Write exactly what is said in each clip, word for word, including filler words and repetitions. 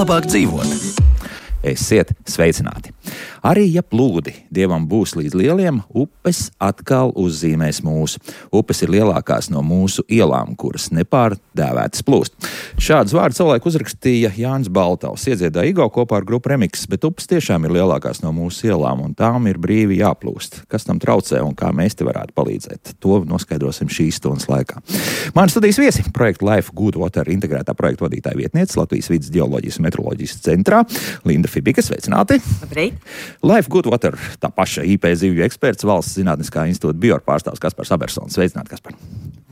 labāk dzīvot. Esiet sveicināti! Arī ja plūdi Dievam būs līdz lieliem, upes atkal uzzīmēs mūsu. Upes ir lielākās no mūsu ielām, kuras nepārdēvētas plūst. Šādus vārdus savulaik uzrakstīja Jānis Baltaus, iedziedāja Igo kopā ar grupu Remix, bet upes tiešām ir lielākās no mūsu ielām, un tām ir brīvi jāplūst. Kas tam traucē un kā mēs te varētu palīdzēt? To noskaidrosim šīs stundas laikā. Mani studijas viesi - projekta Life Good Water integrētā projekta vadītāja vietniece Latvijas vides geoloģijas un meteoroloģijas centrā Linda Fibika, sveicināti! Labrīt! Life Good Water, tā paša I P zivju eksperts, Valsts zinātniskā institūta bior pārstāvs Kaspars Abersons. Sveicināti, Kaspar!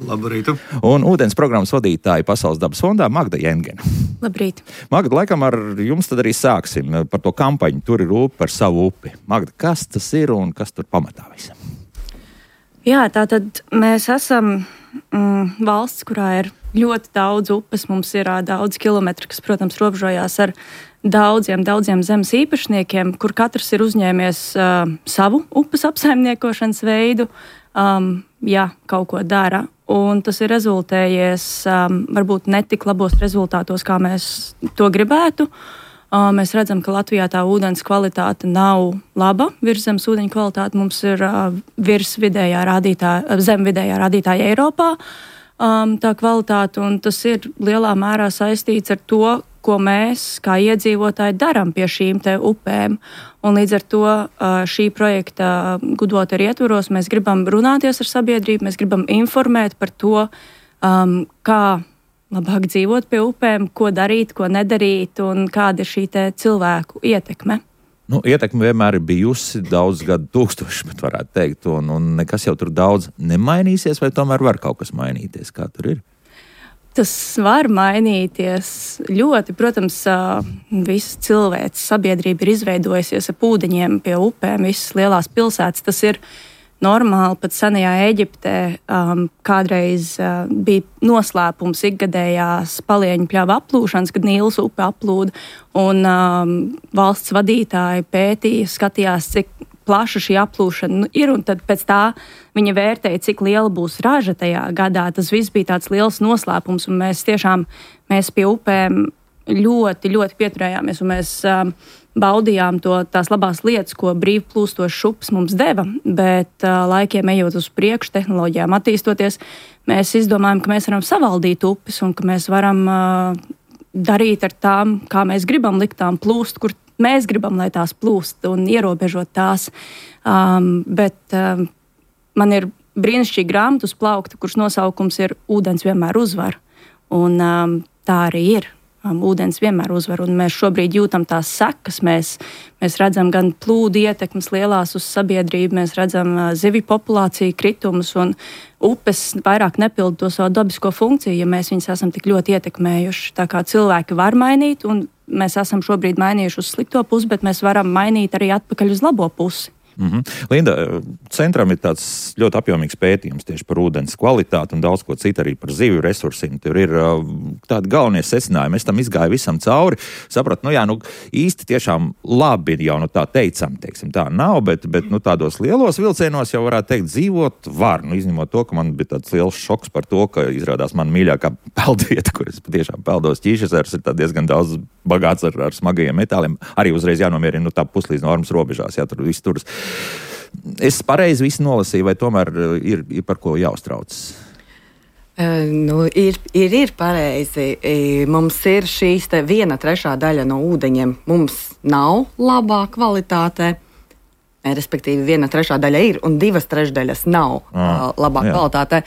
Labrīt! Un ūdens programmas vadītāja Pasaules dabas fondā Magda Jengena. Labrīt! Magda, laikam ar jums tad arī sāksim par to kampaņu Tur ir upe par savu upi. Magda, kas tas ir un kas tur pamatā visam? Jā, tātad mēs esam mm, valsts, kurā ir ļoti daudz upes. Mums ir uh, daudz kilometru, kas, protams, robežojās ar daudziem, daudziem zemes īpašniekiem, kur katrs ir uzņēmies uh, savu upes apsaimniekošanas veidu, um, ja kaut ko dara. Un tas ir rezultējies um, varbūt netik labos rezultātos, kā mēs to gribētu. Uh, mēs redzam, ka Latvijā tā ūdens kvalitāte nav laba. Virszemes ūdeņu kvalitāte mums ir uh, virs vidējā rādītāja, zem vidējā rādītāja Eiropā. Um, tā kvalitāte, un tas ir lielā mērā saistīts ar to, ko mēs, kā iedzīvotāji, darām pie šīm te upēm. Un līdz ar to šī projekta Good Water ietvaros mēs gribam runāties ar sabiedrību, mēs gribam informēt par to, um, kā labāk dzīvot pie upēm, ko darīt, ko nedarīt un kāda ir šī te cilvēku ietekme. Nu, ietekme vienmēr ir bijusi daudz gadu tūkstoši, bet varētu teikt, un, un nekas jau tur daudz nemainīsies, vai tomēr var kaut kas mainīties, kā tur ir? Tas var mainīties ļoti. Protams, visa cilvēks sabiedrība ir izveidojusies ap ūdeņiem pie upēm, visas lielās pilsētas. Tas ir normāli, pat senajā Eģiptē um, kādreiz uh, bija noslēpums ikgadējās palieņu pļava aplūšanas, kad Nīlas upe aplūda, un um, valsts vadītāji pētīja, skatījās, cik plaša šī aplūšana ir, un tad pēc tā viņa vērtēja, cik liela būs raža tajā gadā. Tas viss bija tāds liels noslēpums, un mēs tiešām mēs pie upēm ļoti, ļoti pieturējāmies, un mēs um, baudījām to, tās labās lietas, ko brīvplūstošs upes mums deva, bet uh, laikiem ejot uz priekšu, tehnoloģijām attīstoties, mēs izdomājam, ka mēs varam savaldīt upes, un ka mēs varam uh, darīt ar tām, kā mēs gribam likt tām plūst, kur mēs gribam, lai tās plūst, un ierobežot tās. Um, bet um, man ir brīnišķīga grāmata uz plaukta, kuras nosaukums ir Ūdens vienmēr uzvar. Un um, tā arī ir. Um, ūdens vienmēr uzvar, un mēs šobrīd jūtam tās sekas. Mēs, mēs redzam gan plūdu ietekmes lielās uz sabiedrību, mēs redzam uh, zivju populāciju kritumus, un upes vairāk nepilda to savu dabisko funkciju, ja mēs viņus esam tik ļoti ietekmējuši. Tā kā cilvēki var mainīt, un mēs esam šobrīd mainījuši uz slikto pusi, bet mēs varam mainīt arī atpakaļ uz labo pusi. Mm-hmm. Linda, centram ir tāds ļoti apjomīgs pētījums tieši par ūdens kvalitāti un daudz ko citu arī par zivju resursiem. Tur ir uh, tādi galvenie secinājumi. Es tam izgāju visam cauri. Sapratu, nu jā, nu īsti tiešām labi jau nu tā teicam, teiksim, tā nav, bet, bet nu tādos lielos vilcienos jau varētu teikt dzīvot var. Nu izņemot to, ka man bija tāds liels šoks par to, ka izrādās man mīļākā peldvieta, kur es patiešām peldos Ķīšezers, ir diezgan daudz bagāts ar, ar smagajiem metāliem. Arī uzreiz jānomierina nu tā puslīdz normas robežās, jā, tur viss turas. Es pareizi visu nolasīju, vai tomēr ir, ir par ko jāuztraucas? Uh, nu, ir, ir, ir pareizi. Mums ir šīs te viena trešā daļa no ūdeņiem. Mums nav labā kvalitātē, respektīvi viena trešā daļa ir, un divas trešdaļas nav ah, uh, labā jā. kvalitātē.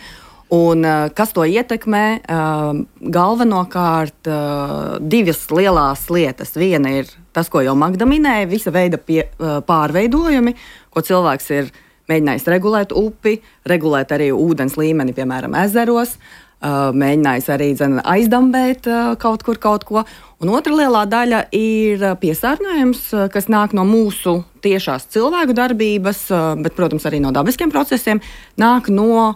Un, uh, kas to ietekmē? Uh, galvenokārt uh, divas lielās lietas. Viena ir tas, ko jau Magda minēja, visa veida pie, uh, pārveidojumi, ko cilvēks ir mēģinājis regulēt upi, regulēt arī ūdens līmeni, piemēram, ezeros, uh, mēģinājis arī dzen, aizdambēt uh, kaut kur kaut ko. Un otra lielā daļa ir piesārņojums, uh, kas nāk no mūsu tiešās cilvēku darbības, uh, bet, protams, arī no dabiskiem procesiem, nāk no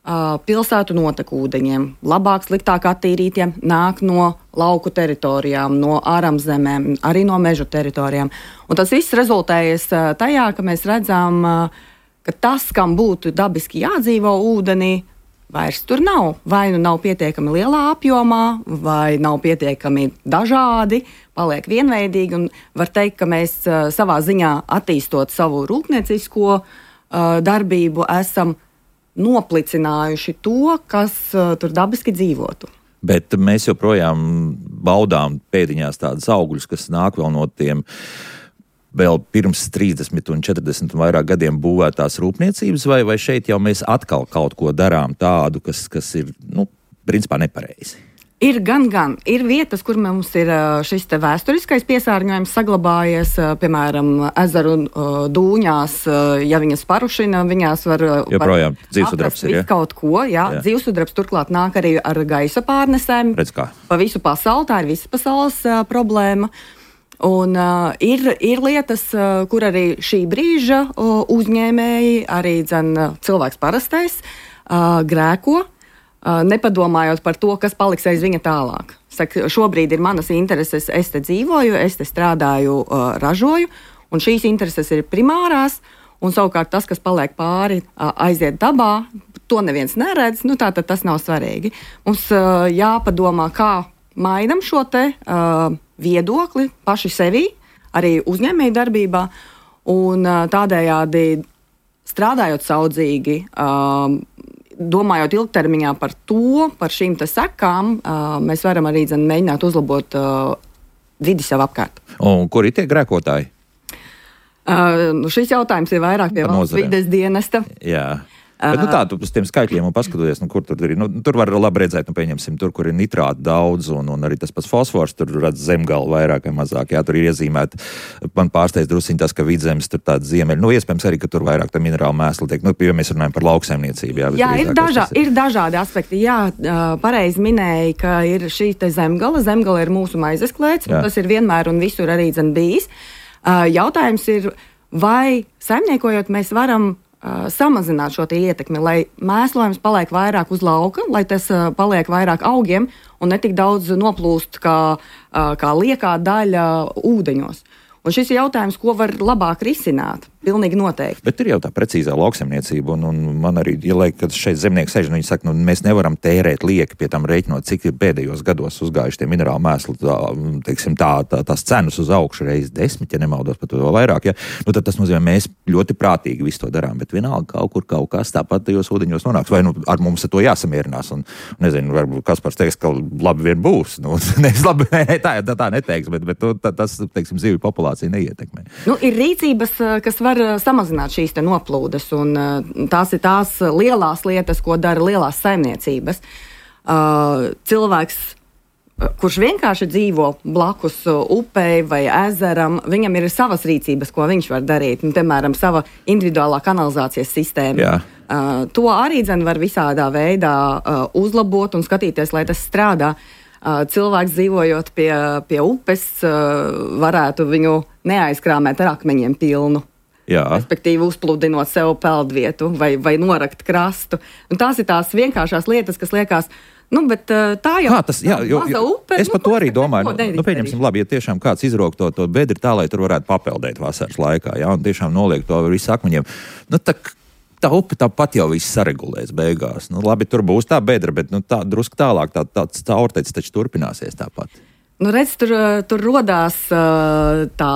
Uh, pilsētu notekūdeņiem, labāk, sliktāk attīrītiem, nāk no lauku teritorijām, no ārzemēm, arī no meža teritorijām. Un tas viss rezultējas uh, tajā, ka mēs redzam, uh, ka tas, kam būtu dabiski jādzīvo ūdenī, vairs tur nav. Vai nu nav pietiekami lielā apjomā, vai nav pietiekami dažādi, paliek vienveidīgi. Un var teikt, ka mēs uh, savā ziņā attīstot savu rūpniecisko uh, darbību, esam noplicinājuši to, kas uh, tur dabiski dzīvotu. Bet mēs joprojām baudām pēdiņās tādas augļus, kas nāk vēl no tiem vēl pirms trīsdesmit un četrdesmit un vairāk gadiem būvētās rūpniecības, vai, vai šeit jau mēs atkal kaut ko darām tādu, kas, kas ir, nu, principā nepareizi? Ir gan, gan. Ir vietas, kur mums ir šis te vēsturiskais piesārņojums saglabājies, piemēram, ezeru dūņās, ja viņas parušina, viņās var... Joprojām dzīvsudrabs ir, ja? Kaut ko, jā. jā. Dzīvsudrabs turklāt nāk arī ar gaisa pārnesēm. Redz kā. Pa visu pasauli, tā ir visas pasaules uh, problēma. Un uh, ir, ir lietas, uh, kur arī šī brīža uh, uzņēmēji, arī dzen, uh, cilvēks parastais, uh, grēko, uh, nepadomājot par to, kas paliks aiz viņa tālāk. Saka, šobrīd ir manas intereses, es te dzīvoju, es te strādāju, uh, ražoju, un šīs intereses ir primārās, un savukārt tas, kas paliek pāri, uh, aiziet dabā, to neviens neredz, nu tā tad tas nav svarīgi. Mums uh, jāpadomā, kā mainam šo te uh, viedokli paši sevī, arī uzņēmēju darbībā, un uh, tādējādi strādājot saudzīgi, uh, domājot ilgtermiņā par to, par šīm te sekām, uh, mēs varam arī dzen, mēģināt uzlabot uh, vidi sev apkārt. Un kur ir tie grēkotāji? Uh, nu šis jautājums ir vairāk pie valsts vides dienesta. Jā. Bet, nu, tā, tu uz tiem skaitļiem un paskatoties, nu, kur tur ir, nu, tur var labi redzēt, nu, pieņemsim, tur, kur ir nitrāti daudz, un, un arī tas pats fosfors, tur redz zemgalu vairāk vai mazāk, jā, tur ir iezīmēt, man pārsteidz drusiņ tas, ka vidzemes tur tāda ziemeļa, nu, iespējams arī, ka tur vairāk tā minerāla mēsla tiek, nu, ja mēs runājam par lauksaimniecību, jā. Jā, ir, dažā, ir. ir dažādi aspekti, jā, pareizi minēja, ka ir šī te zemgala, zemgala ir mūsu maizes klēts, un tas ir vienmēr un visur arī dzen bijis. Jautājums ir, vai saimniekojot mēs varam Uh, samazināt šo ietekmi, lai mēslojums paliek vairāk uz lauka, lai tas uh, paliek vairāk augiem un netik daudz noplūst kā, uh, kā liekā daļa ūdeņos. Un šis ir jautājums, ko var labāk risināt. Pilnīgi noteikti. Bet ir jau tā precīzā lauksaimniecība, un, un man arī, ja laik, kad šeit zemnieki sēž, un viņi saka, nu, mēs nevaram tērēt lieki pie tam rēķinot, cik ir pēdējos gados uzgājuši tie minerāli mēsli, tā, teiksim, tā, tā, tās cenas uz augšu reiz desmit, ja nemaldos, pat vēl vairāk, ja? Nu, tad tas nozīmē, mēs ļoti prātīgi visu to darām, bet vienalga kaut kur kaut kas tāpat tajos ūdeņos nonāks, vai nu ar mums ar to jāsamierinās, un, nezinu, varbūt Kaspars teiks, ka labi vien būs, nu, nevis labi, ne, tā, tā, tā neteiks, bet, bet tā, tas, teiksim, zivju populācija neietekmē. Nu, ir rīcības, kas var samazināt šīs te noplūdes, un tās ir tās lielās lietas, ko dara lielās saimniecības. Uh, cilvēks, kurš vienkārši dzīvo blakus upei vai ezeram, viņam ir savas rīcības, ko viņš var darīt. Un, piemēram, sava individuālā kanalizācijas sistēma. Jā. Uh, to arī dzen var visādā veidā uh, uzlabot un skatīties, lai tas strādā. Uh, cilvēks dzīvojot pie, pie upes uh, varētu viņu neaizkrāmēt ar akmeņiem pilnu. Jā. Respektīvi uzpludinot sev peldvietu vai, vai norakt krastu. Un tās ir tās vienkāršās lietas, kas liekas, nu, bet tā jau Kā tas, jā, jo, jo, upe. Es nu, par to arī domāju. Nu, nu, pieņemsim, labi, ja tiešām kāds izrok to, to bedri tā, lai tur varētu papeldēt vasaras laikā, jā, un tiešām noliek to visu akmeņiem. Nu, tā, tā upe tāpat jau viss saregulēs beigās. Nu, labi, tur būs tā bedra, bet nu, tā drusku tālāk tā, tāds caurteicis taču turpināsies tāpat. Nu, redz, tur, tur rodās tā...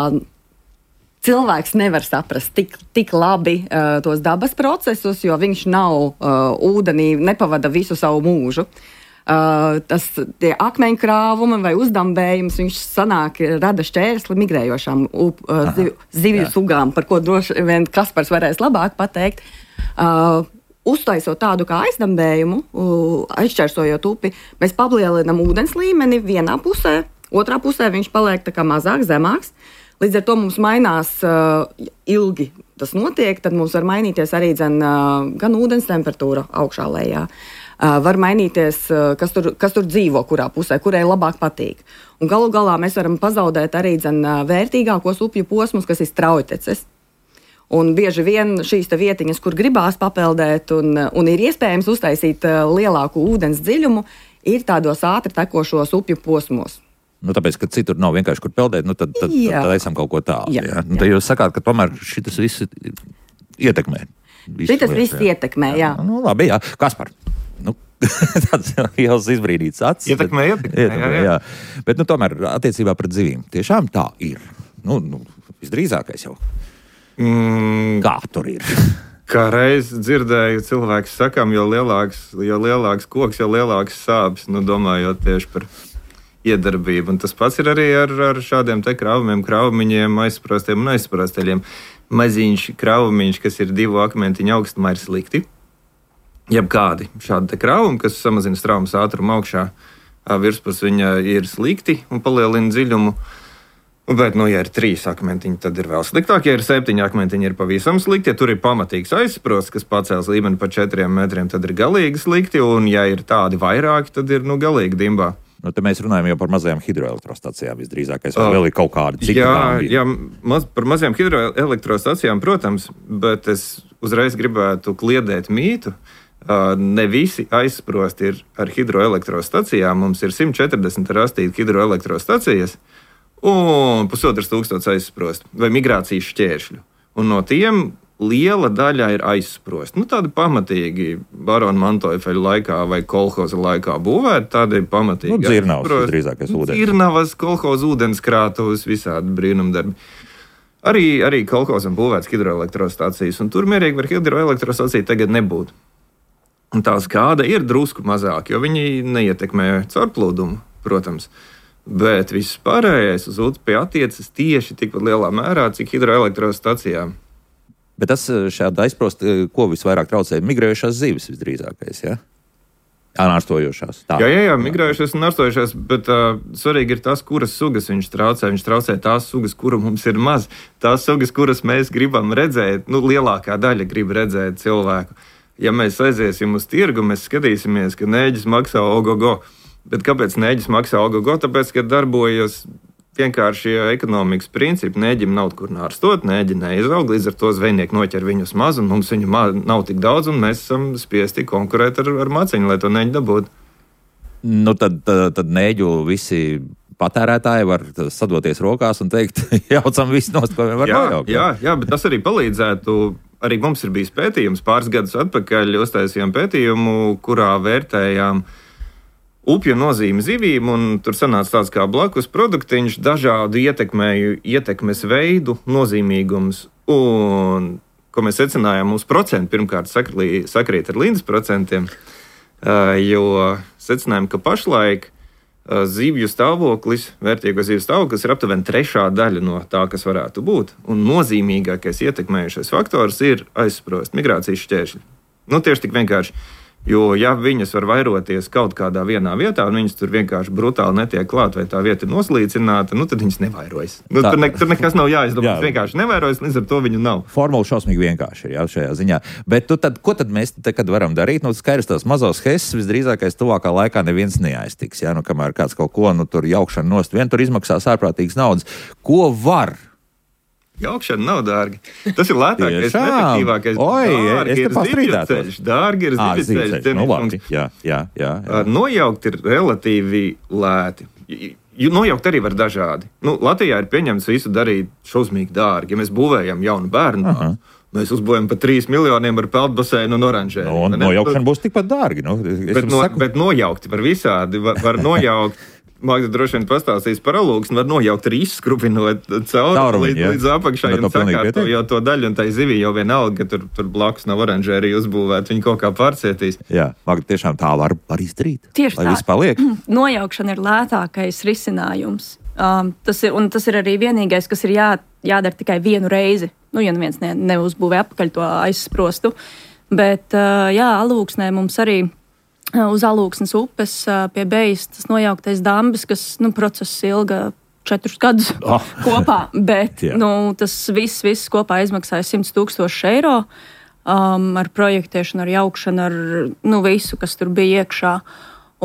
Cilvēks nevar saprast tik, tik labi uh, tos dabas procesus, jo viņš nav uh, ūdenī, nepavada visu savu mūžu. Uh, tas tie akmeņu krāvumi vai uzdambējums, viņš sanāk, rada šķērsli migrējošām up, uh, ziv, zivju jā. Sugām, par ko droši vien Kaspars varēs labāk pateikt. Uh, uztaisot tādu kā aizdambējumu, uh, aizšķērsojot upi, mēs palielinam ūdens līmeni vienā pusē, otrā pusē viņš paliek tā kā mazāk, zemāks. Līdz ar to mums mainās uh, ilgi tas notiek, tad mums var mainīties arī dzen, uh, gan ūdens temperatūra augšā lejā. Uh, var mainīties, uh, kas, tur, kas tur dzīvo, kurā pusē, kurai labāk patīk. Un galu galā mēs varam pazaudēt arī dzen, uh, vērtīgākos upju posmus, kas ir straujteces. Un bieži vien šīs te vietiņas, kur gribās papeldēt un, un ir iespējams uztaisīt uh, lielāku ūdens dziļumu, ir tādos ātri tekošos upju posmos. Nu, tāpēc, ka citur nav vienkārši kur peldēt, nu, tad, tad, tad, tad esam kaut ko tālu. Jā, jā. Nu, tad jūs sakāt, ka tomēr šitas viss ietekmē. Šitas viss ietekmē, jā. jā. Nu, labi, jā. Kaspar, Tāds liels izbrīdīts acis. Ietekmē, ietekmē, ietekmē jā, jā. jā. Bet, nu, tomēr attiecībā pret zivīm tiešām tā ir. Nu, nu visdrīzākais jau. Mm. Kā tur ir? Kā reiz dzirdēju cilvēku sakām, jo lielāks, jo lielāks koks, jo lielāks sāpes, nu, domājot tieši par iedarbību. Un tas pats ir arī ar, ar šādiem te krāvumiem, krāvumiņiem, aizsprostiem un aizsprosteļiem. Maziņš krāvumiņš, kas ir divu akmentiņu augstumā, ir slikti. Jebkādi šādi te krāvumi, kas samazina straumes ātrumu augšā, virspus viņa ir slikti un palielina dziļumu. Bet, nu, ja ir trīs akmentiņi, tad ir vēl sliktāk. Ja ir septiņi akmentiņi, ir pavisam slikti. Ja tur ir pamatīgs aizsprosts, kas pacēls līmeni pa četriem metriem, tad ir galīgi slikti. Un, ja ir tādi vairāki, tad ir, nu, galīgi dimbā. Nu, te mēs runājam jau par mazajām hidroelektrostacijām visdrīzākais, vai vēl ir kaut kādi citi jā, dāmbi? Jā, maz, par mazajām hidroelektrostacijām, protams, bet es uzreiz gribētu kliedēt mītu. Ne visi aizsprosti ir ar hidroelektrostacijām. Mums ir simt četrdesmit rastīti hidroelektrostacijas un pusotras tūkstots aizsprosti vai migrācijas šķēršļu. Un no tiem liela daļa ir aizsprosti. Nu, tādi pamatīgi barona Mantoifeļa laikā vai kolhoza laikā būvēti, tādi pamatīgi. Nu, dzirnavas, drīzākais ūdens. Dzirnavas, kolhoza ūdenskrātuvas, visādi brīnumdarbi. Arī, arī kolhozam būvēts hidroelektrostacijas, un tur mierīgi var hidroelektrostaciju tagad nebūt. Un tā skāda ir drusku mazāk, jo viņi neietekmē caurplūdumu, protams. Bet viss pārējais uz upi attiecas tieši tikpat lielā mērā, cik hidroelektrostacijām. Bet tas šādi aizsprost, ko visvairāk traucē migrējušās zivis visdrīzākais, ja? Nārstojošās. Tā. Jā, jā, jā, migrējušās un nārstojošās, bet uh, svarīgi ir tas, kuras sugas viņš traucē. Viņš traucē tās sugas, kura mums ir maz. Tās sugas, kuras mēs gribam redzēt, nu, lielākā daļa grib redzēt cilvēku. Ja mēs aiziesim uz tirgu, mēs skatīsimies, ka nēģis maksā ogogo. Bet kāpēc nēģis maksā ogogo? Tāpēc, ka darbojas vienkārši ekonomikas principi. Nēģim nav kur nārstot, nēģi neizaug, līdz ar to zvejnieki noķer viņus maz, un mums viņu ma- nav tik daudz, un mēs esam spiesti konkurēt ar, ar maciņu, lai to nēģi dabūtu. Nu, tad, tad, tad nēģu visi patērētāji var sadoties rokās un teikt, jaucam visu nost, ko vien var jā, nojaukt. Jā, jā, bet tas arī palīdzētu. Arī mums ir bijis pētījums, pāris gadus atpakaļ uztaisījām pētījumu, kurā vērtējām upju nozīmi zivīm, un tur sanāca tāds kā blakus produktiņš, dažādu ietekmēju, ietekmes veidu, nozīmīgums. Un, ko mēs secinājām, mūsu procenti pirmkārt sakrī, sakrīt ar Lindas procentiem, jo secinājām, ka pašlaik zivju stāvoklis, vērtīgo zivju stāvoklis ir aptuveni trešā daļa no tā, kas varētu būt. Un nozīmīgākais ietekmējušais faktors ir aizsprost migrācijas šķēršļi. Nu, tieši tik vienkārši. Jo, ja viņas var vairoties kaut kādā vienā vietā, un viņas tur vienkārši brutāli netiek klāt, vai tā vieta ir noslīcināta, nu, tad viņas nevairojas. Nu, tur, ne, tur nekas nav jāizdomā, jā. Vienkārši nevairojas, līdz ar to viņu nav. Formula šausmīgi vienkārši ir, jā, šajā ziņā. Bet tu tad, ko tad mēs te, kad varam darīt? Nu, skaidrs, tās mazos heses visdrīzākais tuvākā laikā neviens neaiztiks, jā, nu, kamēr kāds kaut ko, nu, tur jaukšana nost, vien tur izmaksās ārprātīgas naudas. Ko var? Jaukšana nav dārga. Tas ir lētākais, efektīvākais. Oi, dārgi es te ir pastrīdētos. Dārgi ir Ā, zivju ceļš. Nu, labi, jā, jā, jā, jā. Nojaukt ir relatīvi lēti. Nojaukt arī var dažādi. Nu, Latvijā ir pieņemts visu darīt šausmīgi dārgi. Ja mēs būvējam jaunu bērnu, Aha. mēs uzbūvējam par trīs miljoniem ar peldbaseinu un oranžēru. Nu, un nojaukšana būs tikpat dārgi. Nu, bet, no, saku... bet nojaukt var visādi. Var, var nojaukt. Magda droši vien pastāstīs par alūksni, var nojaukt arī izskrupinot cauri līdz, līdz apakšai un sakārto jau to daļu, un tai zivī jau vienalga, ka tur, tur blakus nav oranžērija uzbūvēt, viņi kaut kā pārcietīs. Jā, Magda, tiešām tā var, var izdarīt. Tieši lai tā. Viss paliek. Nojaukšana ir lētākais risinājums. Um, tas ir, un tas ir arī vienīgais, kas ir jā, jādara tikai vienu reizi. Nu, ja neviens ne, neuzbūvē apakaļ to aizsprostu. Bet, uh, jā, alūksnē mums arī uz Alūksnes upes pie Bejas tas nojauktais dambis, kas, nu, process ilga četrus gadus oh. kopā, bet, yeah. nu, tas viss, viss kopā izmaksāja simt tūkstoši eiro um, ar projektēšanu, ar jaukšanu, ar, nu, visu, kas tur bija iekšā.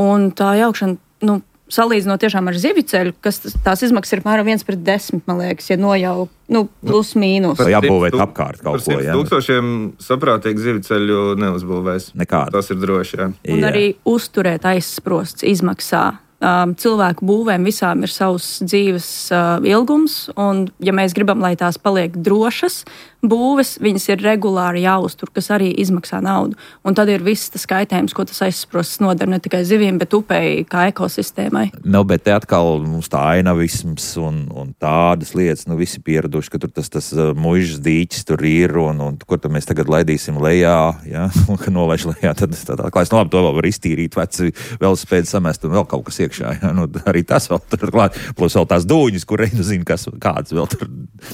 Un tā jaukšana, nu, salīdzinot tiešām ar zivju ceļu, kas tās izmaksas ir apmēram viens pret desmit, man liekas, ja nojauk, nu, plus mīnus. Vai jābūvēt apkārt kaut ko, jā? Par tūkstošiem saprātīgi zivju ceļu neuzbūvēs. Nekādu. Tas ir droši, jā. Un jā. Arī uzturēt aizsprosts izmaksā. Um, cilvēku būvēm visām ir savs dzīves uh, ilgums, un ja mēs gribam, lai tās paliek drošas, būves, viņas ir regulāri jāuztur, kas arī izmaksā naudu. Un tad ir viss tas kaitējums, ko tas aizsprosts nodara ne tikai zivīm, bet upei kā ekosistēmai. Nu, bet te atkal mums tā ainavisms un, un tādas lietas, nu visi pieraduši, ka tur tas, tas muižas dīķis tur ir un, un kur tad mēs tagad laidīsim lejā, ja, un ka nolaiž lejā, tad tā klājas, nu labi, to vēl var iztīrīt, veci velosipēdi samest un vēl kaut kas iekšā, ja, nu arī tas vēl tur klāt, plus vēl tās dūņas, kur reinu zina, kas, kāds vēl tur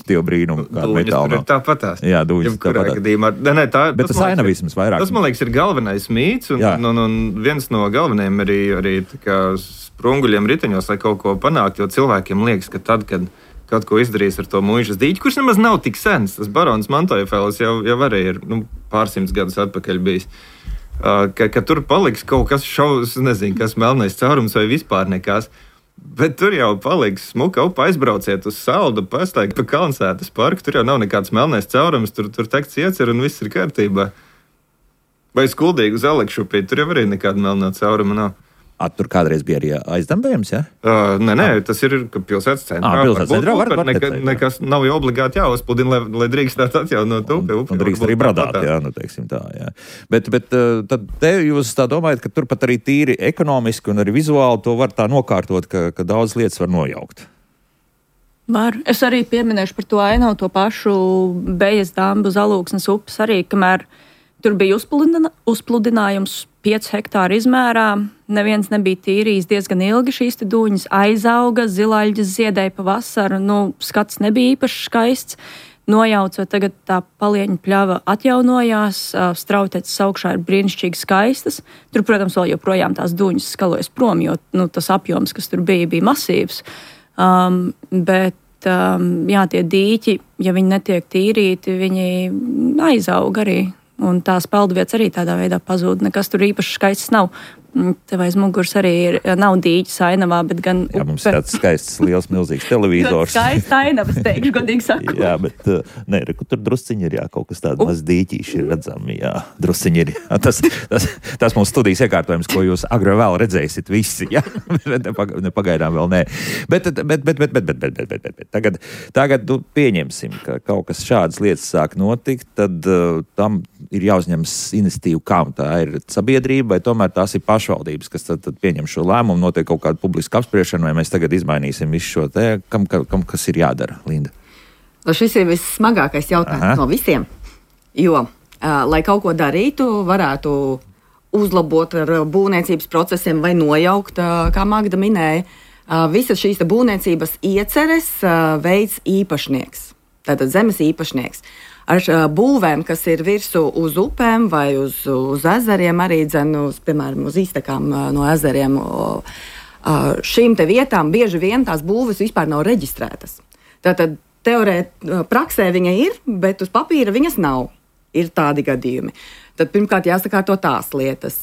tie brīnumi, kāda metāla nav. Tāpatās. Jā, dūņas tāpatās. Gadījumā, ne, ne, tā, bet tas, tas ainavisms vairāk. Tas, man liekas, ir galvenais mīts, un, un, un, un viens no galvenajiem arī, arī tā kā sprunguļiem riteņos, lai kaut ko panākt, jo cilvēkiem liekas, ka tad, kad kaut ko izdarīs ar to muižas dīķi, kurš nemaz nav tik sens, tas barons Mantojefels jau, jau arī ir nu, pārsimts gadus atpakaļ bijis. Uh, ka, ka tur paliks kaut kas šaus, nezinu, kas melnais caurums vai vispār nekas. Bet tur jau paliks smuka upa, aizbrauciet uz saldu, pastaigi pa Kalnsētas parku, tur jau nav nekāds melnais caurums, tur, tur teksts iecer un viss ir kārtībā. Vai skuldīgi uz Alekšupī, tur jau arī nekāda melnā cauruma nav. A, tur kādreiz bija arī aizdambējums, ja? Uh, nē, nē, tas ir pilsētas centrā. À, pilsētas centrā var, var neka, nekas nav jau obligāti jāuzpludina, lai, lai drīkstētu atjaunot upi. Un, un drīkst arī bradāt, jā, nu teiksim tā, jā. Bet, bet tad te jūs tā domājat, ka tur pat arī tīri ekonomiski un arī vizuāli to var tā nokārtot, ka, ka daudz lietas var nojaukt. Var. Es arī pieminēšu par to ainavu, to pašu Bejas dambu uz Alūksnes upes arī, kamēr tur bija uzpludina, uzpludinājums pieci hektāri izmērā. Neviens nebija tīrījis diezgan ilgi šīs te dūņas, aizauga, zilaļģes ziedēja pa vasaru, nu, skats nebija īpaši skaists. Nojaucot, tagad tā palieņu pļava atjaunojās, strauteces augšā ir brīnišķīgi skaistas. Tur, protams, vēl joprojām tās dūņas skalojas prom, jo nu, tas apjoms, kas tur bija, bija masīvs. Um, bet um, jā, tie dīķi, ja viņi netiek tīrīti, viņi aizaug arī. Un tās peldvietas arī tādā veidā pazūd. Nekas tur īpaši skaists nav. Tev aiz muguras arī ir, nav dīķis ainavā, bet gan jā, mums ir tāds skaists, liels, milzīgs televizors. Skaists ainavas, teikšu, godīgi sakot. Jā, bet ne, tur drusciņi ir, jā, kaut kas tāds maz dīķīši ir redzami, jā, drusciņi ir. Jā. Tas, tas, tas mums studijas iekārtojums, ko jūs agri vēl redzēsiet visi, jā, nepagaidām vēl nē. Bet, bet, bet, bet, bet, bet, bet, bet, bet, bet. Tagad, tagad nu, pieņemsim, ka kaut kas šādas lietas sāk notikt, tad uh, tam ir jāuzņemas iniciatīva, kam tā ir sabiedrība, vai tomēr tās ir pašvaldības, kas tad, tad pieņem šo lēmumu, notiek kaut kāda publiska apspriešana, vai mēs tagad izmainīsim visu šo te, kam, kam kas ir jādara, Linda? Šis ir vissmagākais jautājums Aha. no visiem, jo, uh, lai kaut ko darītu, varētu uzlabot ar būvniecības procesiem vai nojaukt, uh, kā Magda minēja, uh, visas šīs būvniecības ieceres uh, veids īpašnieks, tātad zemes īpašnieks. Ar būvēm, kas ir virsū uz upēm vai uz, uz ezeriem, arī dzen, uz, piemēram, uz iztekām no ezeriem. Šīm te vietām bieži vien tās būves vispār nav reģistrētas. Tātad teorēt, praksē viņa ir, bet uz papīra viņas nav. Ir tādi gadījumi. Tad pirmkārt jāsakārto tās lietas.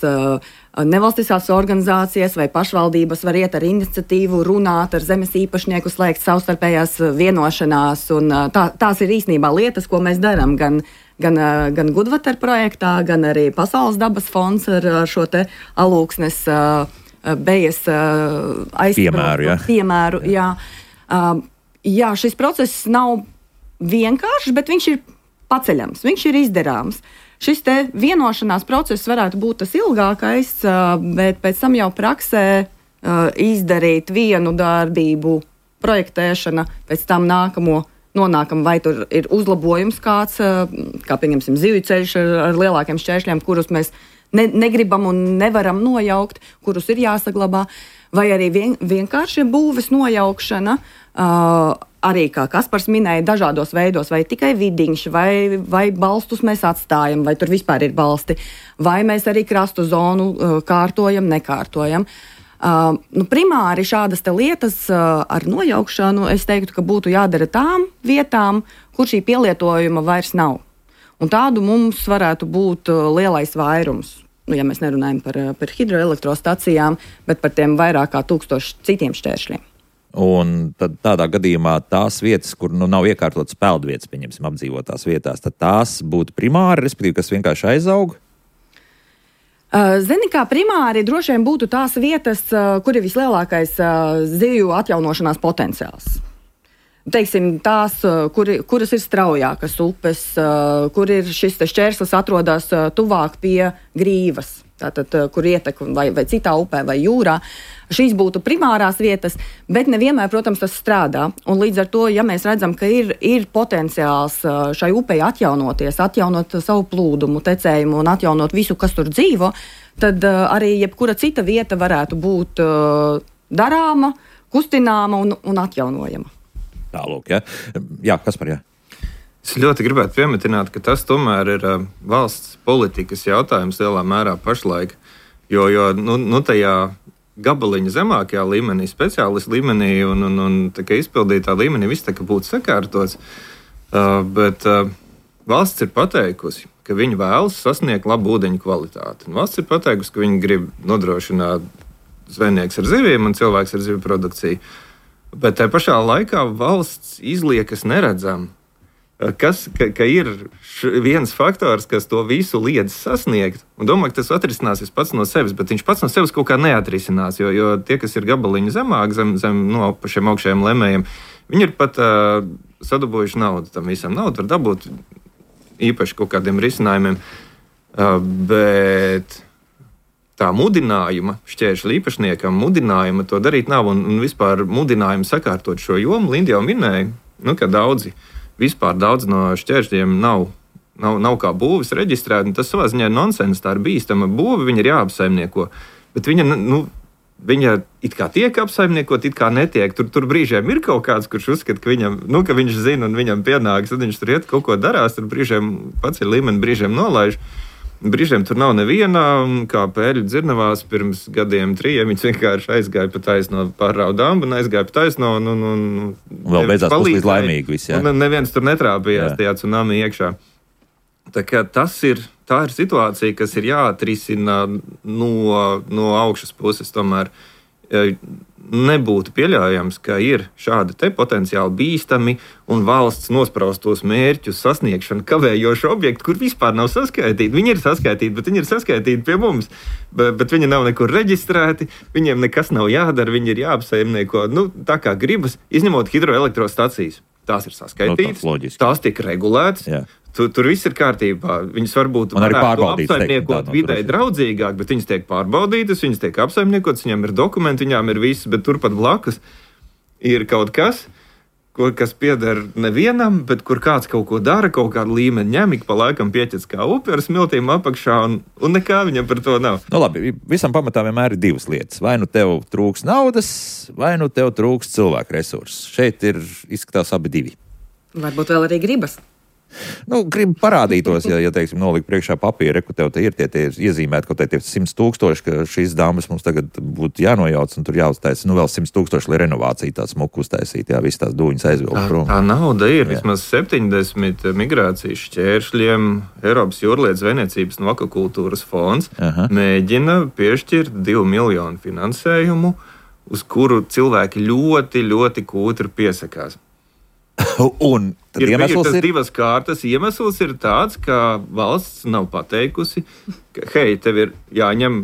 Nevalstiskās organizācijas vai pašvaldības var iet ar iniciatīvu, runāt ar zemes īpašnieku, slēgt savstarpējās vienošanās. Un tā, tās ir īstenībā lietas, ko mēs darām gan, gan, gan Gudvater projektā, gan arī Pasaules dabas fonds ar, ar šo te Alūksnes Bejas piemēru. Jā. piemēru jā. jā, šis process nav vienkāršs, bet viņš ir paceļams, viņš ir izdarāms. Šis te vienošanās process varētu būt tas ilgākais, bet pēc tam jau praksē izdarīt vienu darbību, projektēšana, pēc tam nākamo nonākam, vai tur ir uzlabojums kāds, kā pieņemsim zivju ceļš ar, ar lielākiem šķēršļiem, kurus mēs ne, negribam un nevaram nojaukt, kurus ir jāsaglabā, vai arī vien, vienkārši būves nojaukšana, uh, arī, kā Kaspars minēja, dažādos veidos, vai tikai vidiņš, vai, vai balstus mēs atstājam, vai tur vispār ir balsti, vai mēs arī krastu zonu uh, kārtojam, nekārtojam. Uh, nu, primāri šādas te lietas uh, ar nojaukšanu, es teiktu, ka būtu jādara tām vietām, kur šī pielietojuma vairs nav. Un tādu mums varētu būt uh, lielais vairums. Nu, ja mēs nerunājam par, par hidroelektrostacijām, bet par tiem vairāk kā tūkstoši citiem šķēršļiem. Un tad tādā gadījumā tās vietas, kur nu, nav iekārtotas peldvietas, pieņemsim, apdzīvotās vietās, tad tās būtu primāri, respektīvi, kas vienkārši aizaug? Uh, Zini, kā primāri droši vien būtu tās vietas, uh, kur ir vislielākais uh, zivju atjaunošanās potenciāls. teiksim, tās, kur, kuras ir straujākas upes, kur ir šis šķērslis atrodas tuvāk pie grīvas, tātad, kur ietek vai, vai citā upē vai jūrā. Šīs būtu primārās vietas, bet nevienmēr, protams, tas strādā. Un līdz ar to, ja mēs redzam, ka ir, ir potenciāls šai upei atjaunoties, atjaunot savu plūdumu, tecējumu un atjaunot visu, kas tur dzīvo, tad arī jebkura cita vieta varētu būt darāma, kustināma un, un atjaunojama. Tālūk, ja? Jā, kas par jā? Es ļoti gribētu piemetināt, ka tas tomēr ir uh, valsts politikas jautājums lielā mērā pašlaik, jo, jo nu, nu tajā gabaliņa zemākajā līmenī, speciālistu līmenī un, un, un izpildītā līmenī viss tā kā būtu sakārtots, uh, bet uh, valsts ir pateikusi, ka viņi vēlas sasniegt labu ūdeņu kvalitāti. Un valsts ir pateikusi, ka viņi grib nodrošināt zvejnieks ar zivīm un cilvēks ar zivju produkciju, bet tajā pašā laikā valsts izliekas neredzam. Kas, ka, ka ir viens faktors, kas to visu liedz sasniegt, un domāju, ka tas atrisināsies pats no sevis, bet viņš pats no sevis kaut kā neatrisinās, jo, jo tie, kas ir gabaliņi zemāk, zem, zem no pašiem augšējiem lemējiem, viņi ir pat uh, sadabūjuši naudu tam visam. Naudu var dabūt īpaši kaut kādiem risinājumiem, uh, bet tā mudinājuma, šķēršļu īpašniekam mudinājuma to darīt nav, un, un vispār mudinājuma sakārtot šo jomu, Linda jau minēja, nu, ka daudzi Vispār daudz no šķēršļiem nav, nav, nav kā būvis reģistrēti, un tas savā ziņā ir nonsens, tā ir bīstama būve, viņa ir jāapsaimnieko. Bet viņa, nu, viņa it kā tiek apsaimniekot, it kā netiek. Tur, tur brīžiem ir kaut kāds, kurš uzskata, ka, viņam, nu, ka viņš zina un viņam pienāks, tad viņš tur iet kaut ko darās, tur brīžiem pats ir līmeni, brīžiem nolaiž. Brīžiem tur nav neviena, un kā pēļu dzirnavās pirms gadiem trījiem, viņš vienkārši aizgāja pa taisno pārraudu dambu un aizgāja pa taisno. Un, un, un, vēl beidzās puslīdz laimīgi viss, jā. Un neviens tur netrāpījās jā. Tajā tsunami iekšā. Tā kā tas ir, tā ir situācija, kas ir jāatrisina no, no augšas puses tomēr. Nebūtu pieļaujams, ka ir šādi te potenciāli bīstami un valsts nospraustos mērķus sasniegšanu kavējoši objekti, kur vispār nav saskaitīti. Viņi ir saskaitīti, bet viņi ir saskaitīti pie mums, bet, bet viņi nav nekur reģistrēti, viņiem nekas nav jādara, viņi ir jāapsaimnieko, nu, tā kā gribas, izņemot hidroelektrostacijas. Tās ir saskaitītas, no, tās tiek regulētas. Jā. Tur, tur viss ir kārtībā. Viņas varbūt varētu apsaimniekot videi draudzīgāk, bet viņas tiek pārbaudītas, viņas tiek apsaimniekotas, viņām ir dokumenti, viņām ir viss, bet turpat blakus ir kaut kas, kur, kas pieder nevienam, bet kur kāds kaut ko dara, kaut kādu līmeni ņem, ik pa laikam pieķec kā upi ar smiltīm apakšā, un, un nekā viņam par to nav. Nu labi, visam pamatā vienmēr ir divas lietas. Vai nu tev trūks naudas, vai nu tev trūks cilvēku resursus. Šeit ir izskatās abi divi. Varbūt vēl arī gribas. Nu, gribu parādītos, ja, ja teiksim, nolikt priekšā papīra, ka tev te ir tie, tie iezīmēti kaut tie simts tūkstoši, ka šīs dāmas mums tagad būtu jānojauc un tur jāuztaisa, nu vēl simts tūkstoši, lai renovācija tāds smuku uztaisīt, jā, visas tās dūņas aizvilkt prom. Tā, tā nauda ir, jā. Vismaz septiņdesmit migrācijas šķēršļiem Eiropas jūrlietu zvejniecības un akvakultūras fonds Aha. mēģina piešķirt divu miljonu finansējumu, uz kuru cilvēki ļoti, ļoti kūtri piesakās. Un tad ir iemesls ir divas kārtas. Iemesls ir tāds, ka valsts nav pateikusi, ka, hei, tev ir jāņem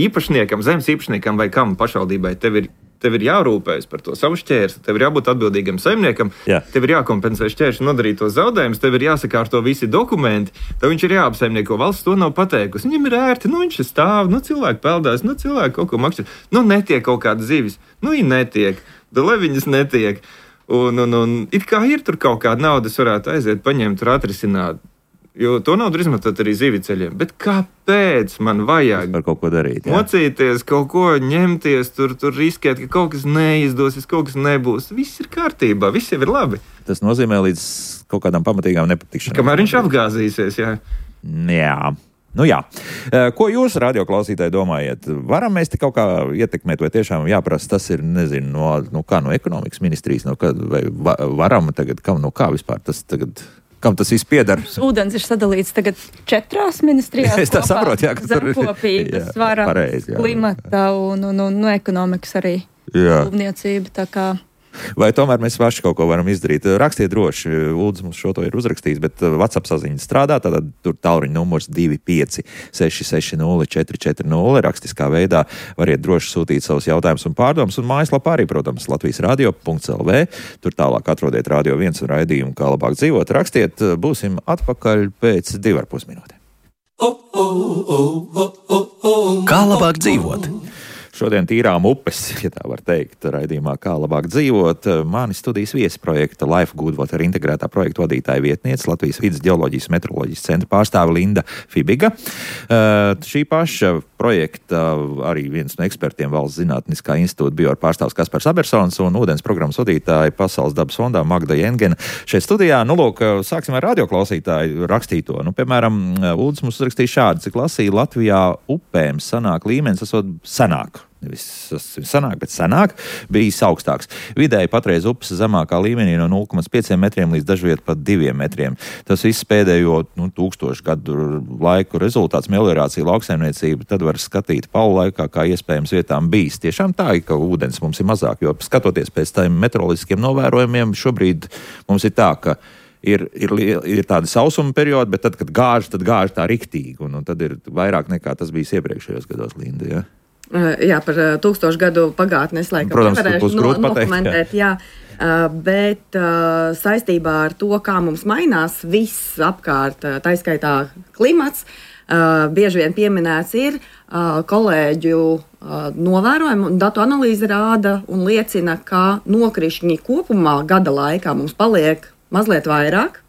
īpašniekam, zemes īpašniekam vai kam pašvaldībai, tev ir, tev ir jārūpējas par to savu šķērsli, tev ir jābūt atbildīgam saimniekam, Jā. Tev ir jākompensē šķēršļu nodarītos zaudējumus, tev ir jāsakārto visi dokumenti, tev viņš ir jāapsaimnieko. Valsts to nav pateikusi. Viņam ir ērti, nu viņš stāv, nu cilvēki peldās, nu cilvēki kaut ko maksā, nu netiek kaut kādas zivis, nu viņi netiek, da lai viņas netiek. Un, un, un it kā ir tur kaut kāda naudas, varētu aiziet, paņemt, tur atrisināt. Jo to naudu izmantot arī zivju ceļiem. Bet kāpēc man vajag par kaut ko darīt? Jā. Mocīties, kaut ko ņemties, tur, tur riskēt, ka kaut kas neizdosies, kaut kas nebūs. Viss ir kārtībā, viss jau ir labi. Tas nozīmē līdz kaut kādām pamatīgām nepatikšanām. Kamēr viņš apgāzīsies, jā. Jā. Nu jā. Ko jūs, radioklausītāji, domājat? Varam mēs te kaut kā ietekmēt, vai tiešām jāprasa, tas ir, nezinu, no, no kā, no ekonomikas ministrijas, no kā, vai va, varam tagad, kam, no kā vispār tas tagad, kam tas viss piedara? Ūdens ir sadalīts tagad četrās ministrijās. Es tā saprotu, jā, ka tur ir. Zemkopības, varas, klimata un, un, un, un ekonomikas arī. Jā. Būvniecība, tā kā. Vai tomēr mēs paši kaut ko varam izdarīt? Rakstiet droši, Ulds mums šo to ir uzrakstījis, bet WhatsApp saziņa strādā, tātad tur tālruņa numurs divi pieci seši seši nulle četri četri nulle. Rakstiskā veidā variet droši sūtīt savus jautājumus un pārdomus, un mājaslapā arī, protams, latvijas radio punkts el vē. Tur tālāk atrodiet Radio viens un raidījumu, kā labāk dzīvot. Rakstiet, būsim atpakaļ pēc divar pus minūtēm. Kā labāk dzīvot? Šodien tīrām upes, ja tā var teikt, raidījumā Kā labāk dzīvot. Mani studijas viesi projekta Life Good Water integrētā projekta vadītāja vietniece, Latvijas vides ģeoloģijas meteoroloģijas centra pārstāve Linda Fibiga. Uh, šī paša projekta arī viens no ekspertiem Valsts zinātniskā institūta bioar pārstāvs Kaspars Abersons un ūdens programmas vadītāja Pasaules dabas fondā Magda Jengena. Šeit studijā, nu lūk, sāksim ar radioklausītāju rakstīto. Nu, piemēram, Ulds mums uzrakstīja šādi, cik lasīja Latvijā upēm sanāk līmenis, esot senāk. Nevis sanāk, bet senāk bijis augstāks. Vidēji patreiz upes zemākā līmenī no nulle komats pieci metriem līdz dažviet pat diviem metriem. Tas viss pēdējo nu, tūkstošu gadu laiku rezultāts meliorācija, lauksaimniecība, tad var skatīt paulu laikā, kā iespējams vietām bijis. Tiešām tā, ka ūdens mums ir mazāk, jo skatoties pēc tādiem meteoroloģiskiem novērojumiem, šobrīd mums ir tā, ka Ir, ir, ir tādi sausuma periodi, bet tad, kad gāž, tad gāž tā riktīgi, un, un tad ir vairāk nekā tas bijis iepriekšējos gados, Linda, ja? Jā, par tūkstošu gadu pagātni es laikam Protams, nevarēšu no, dokumentēt, jā. jā, bet saistībā ar to, kā mums mainās viss apkārt, tā skaitā klimats, bieži vien pieminēts ir kolēģu novērojumi, un datu analīze rāda un liecina, ka nokrišņi kopumā gada laikā mums paliek mazliet vairāk.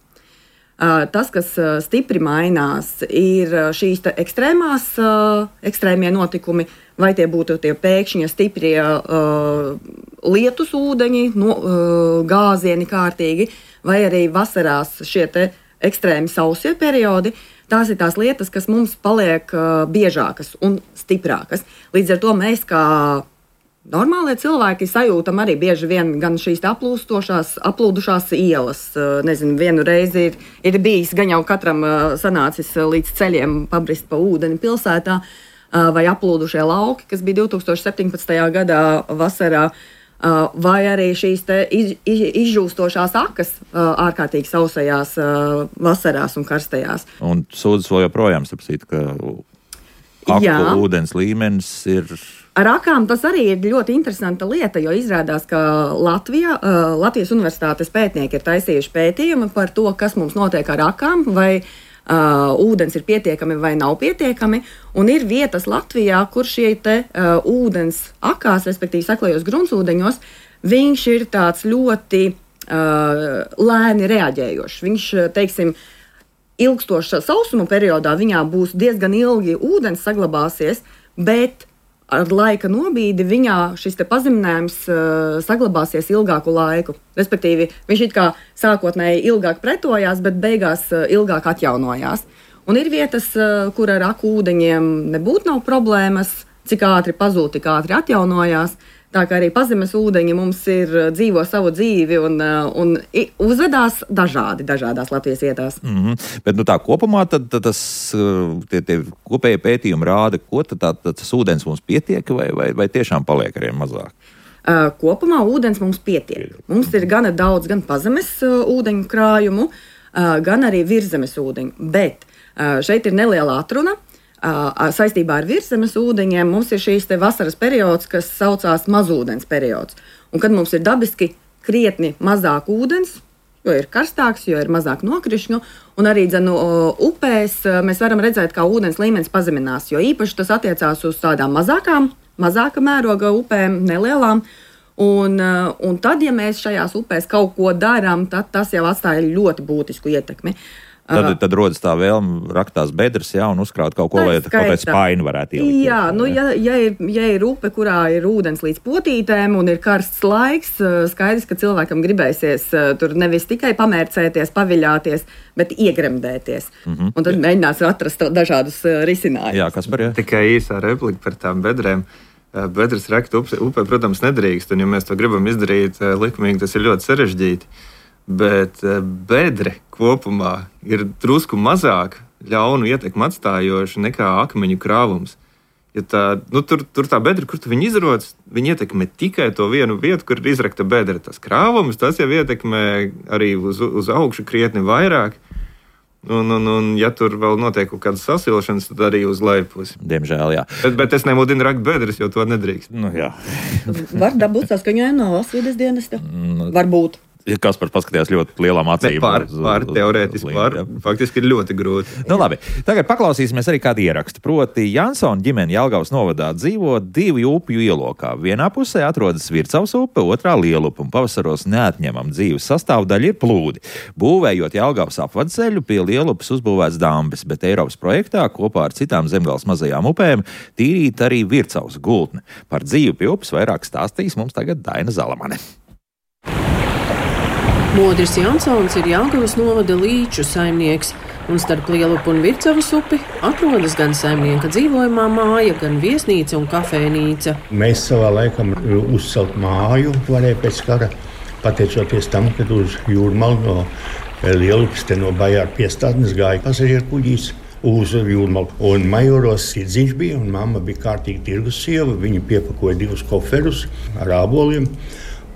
Tas, kas stipri mainās, ir šīs ekstrēmās, ekstrēmie notikumi, vai tie būtu tie pēkšņie stiprie uh, lietus ūdeņi, no, uh, gāzieni kārtīgi, vai arī vasarās šie te ekstrēmi sausie periodi. Tās ir tās lietas, kas mums paliek uh, biežākas un stiprākas. Līdz ar to mēs kā normālie cilvēki sajūtam arī bieži vien gan šīs aplūstošās, aplūdušās ielas. Nezinu, vienu reizi ir, ir bijis gan jau katram sanācis līdz ceļiem pabrist pa ūdeni pilsētā, vai aplūdušie lauki, kas bija divi tūkstoši septiņpadsmitajā gadā vasarā, vai arī šīs te iz, iz, izžūstošās akas ārkārtīgi sausajās vasarās un karstajās. Un sūdzes vēl joprojām, sapsīt, ka aku ūdens līmenis ir... Ar akām tas arī ir ļoti interesanta lieta, jo izrādās, ka Latvijā, Latvijas universitātes pētnieki ir taisījuši pētījumu par to, kas mums notiek ar akām, vai uh, ūdens ir pietiekami vai nav pietiekami, un ir vietas Latvijā, kur šie te uh, ūdens akās, respektīvi saklajos gruntsūdeņos, viņš ir tāds ļoti uh, lēni reaģējošs. Viņš, teiksim, ilgstoša sausuma periodā viņā būs diezgan ilgi ūdens saglabāsies, bet ar laika nobīdi viņā šis te pazeminājums uh, saglabāsies ilgāku laiku. Respektīvi, viņš it kā sākotnēji ilgāk pretojās, bet beigās uh, ilgāk atjaunojās. Un ir vietas, uh, kur ar aku ūdeņiem nebūtu nav problēmas, cik ātri pazūd, tik ātri atjaunojās. Tā kā arī pazemes ūdeņi mums ir dzīvo savu dzīvi un, un uzvedās dažādi, dažādās Latvijas vietās. Mm-hmm. Bet nu tā kopumā tad, tad tas tie, tie kopējie pētījumi rāda, ko tad tā, tas ūdens mums pietiek vai, vai, vai tiešām paliek arī mazāk? Uh, kopumā ūdens mums pietiek. Mums ir gana daudz gan pazemes uh, ūdeņu krājumu, uh, gan arī virzemes ūdeņu. Bet uh, šeit ir neliela atruna. Uh, saistībā ar virszemes ūdeņiem mums ir šīs te vasaras periods, kas saucās mazūdens periods. Un kad mums ir dabiski krietni mazāk ūdens, jo ir karstāks, jo ir mazāk nokrišņu, un arī dzenu upēs mēs varam redzēt, kā ūdens līmenis pazeminās, jo īpaši tas attiecās uz tādām mazākām, mazāka mēroga upēm, nelielām. Un, un tad, ja mēs šajās upēs kaut ko darām, tad tas jau atstāja ļoti būtisku ietekmi. Tad, tad rodas tā vēlme rakt tās bedres, jā, un uzkrāt kaut ko, lai kaut kāda spaini varētu ielikt. Jā, nu, ja, ja, ir, ja ir upe, kurā ir ūdens līdz potītēm un ir karsts laiks, skaidrs, ka cilvēkam gribēsies tur nevis tikai pamērcēties, paviļāties, bet iegremdēties. Mm-hmm. Un tad mēģinās atrast dažādus risinājumus. Jā, Kaspar, jā. Tikai īsā replika par tām bedrēm. Bedres rakt upe, upe, protams, nedrīkst, un ja mēs to gribam izdarīt likumīgi, tas ir ļoti sarežģīti. Bet bedre kopumā ir drusku mazāk ļaunu ietekmi atstājoša nekā akmeņu krāvums. Ja tā, nu, tur, tur tā bedra, kur tu viņu izroc, viņi ietekmē tikai to vienu vietu, kur ir izrakta bedra. Tas krāvums, tas jau ietekmē arī uz, uz augšu krietni vairāk. Un, un, un, ja tur vēl notiek kaut kādas sasilšanas, tad arī uz lejpusi. Diemžēl, jā. Bet, bet es nemudinu rakt bedres, jo to nedrīkst. Nu, jā. Var dabūt saskaņojumu no valsts vides dienesta? Varbūt. Kaspars paskatījās ļoti lielām acīm. Pār, pār teorētiski, pār, faktiski ir ļoti grūti. Nu, labi, tagad paklausīsimies arī kādu ierakstu. Proti, Jansona ģimene Jelgavas novadā dzīvo divu upju ielokā. Vienā pusē atrodas Vircavas upe, otrā Lielupa, un pavasaros neatņemam dzīves sastāvdaļa ir plūdi. Būvējot Jelgavas apvadceļu, pie Lielupas uzbūvēts dambis, bet Eiropas projektā kopā ar citām Zemgales mazajām upēm tīrīt arī Vircavas gultne. Par dzīvi pie upes vairāk stāstīs mums tagad Daina Zalamane. Modris Jansons ir Jelgavas novada līču saimnieks, un starp Lielupu un Vircavas upi atrodas gan saimnieka dzīvojamā māja, gan viesnīca un kafejnīca. Mēs savā laikā uzcelt māju varēja pēc kara, pateicoties tam, kad uz Jūrmalu no Lielupas te no Bajāra piestādnes gāja pasažieru kuģīs uz Jūrmalu. Un Majoros Sirdziņš bija, un mamma bija kārtīgi tirgus sieva. Viņa piepakoja divus koferus ar āboliem.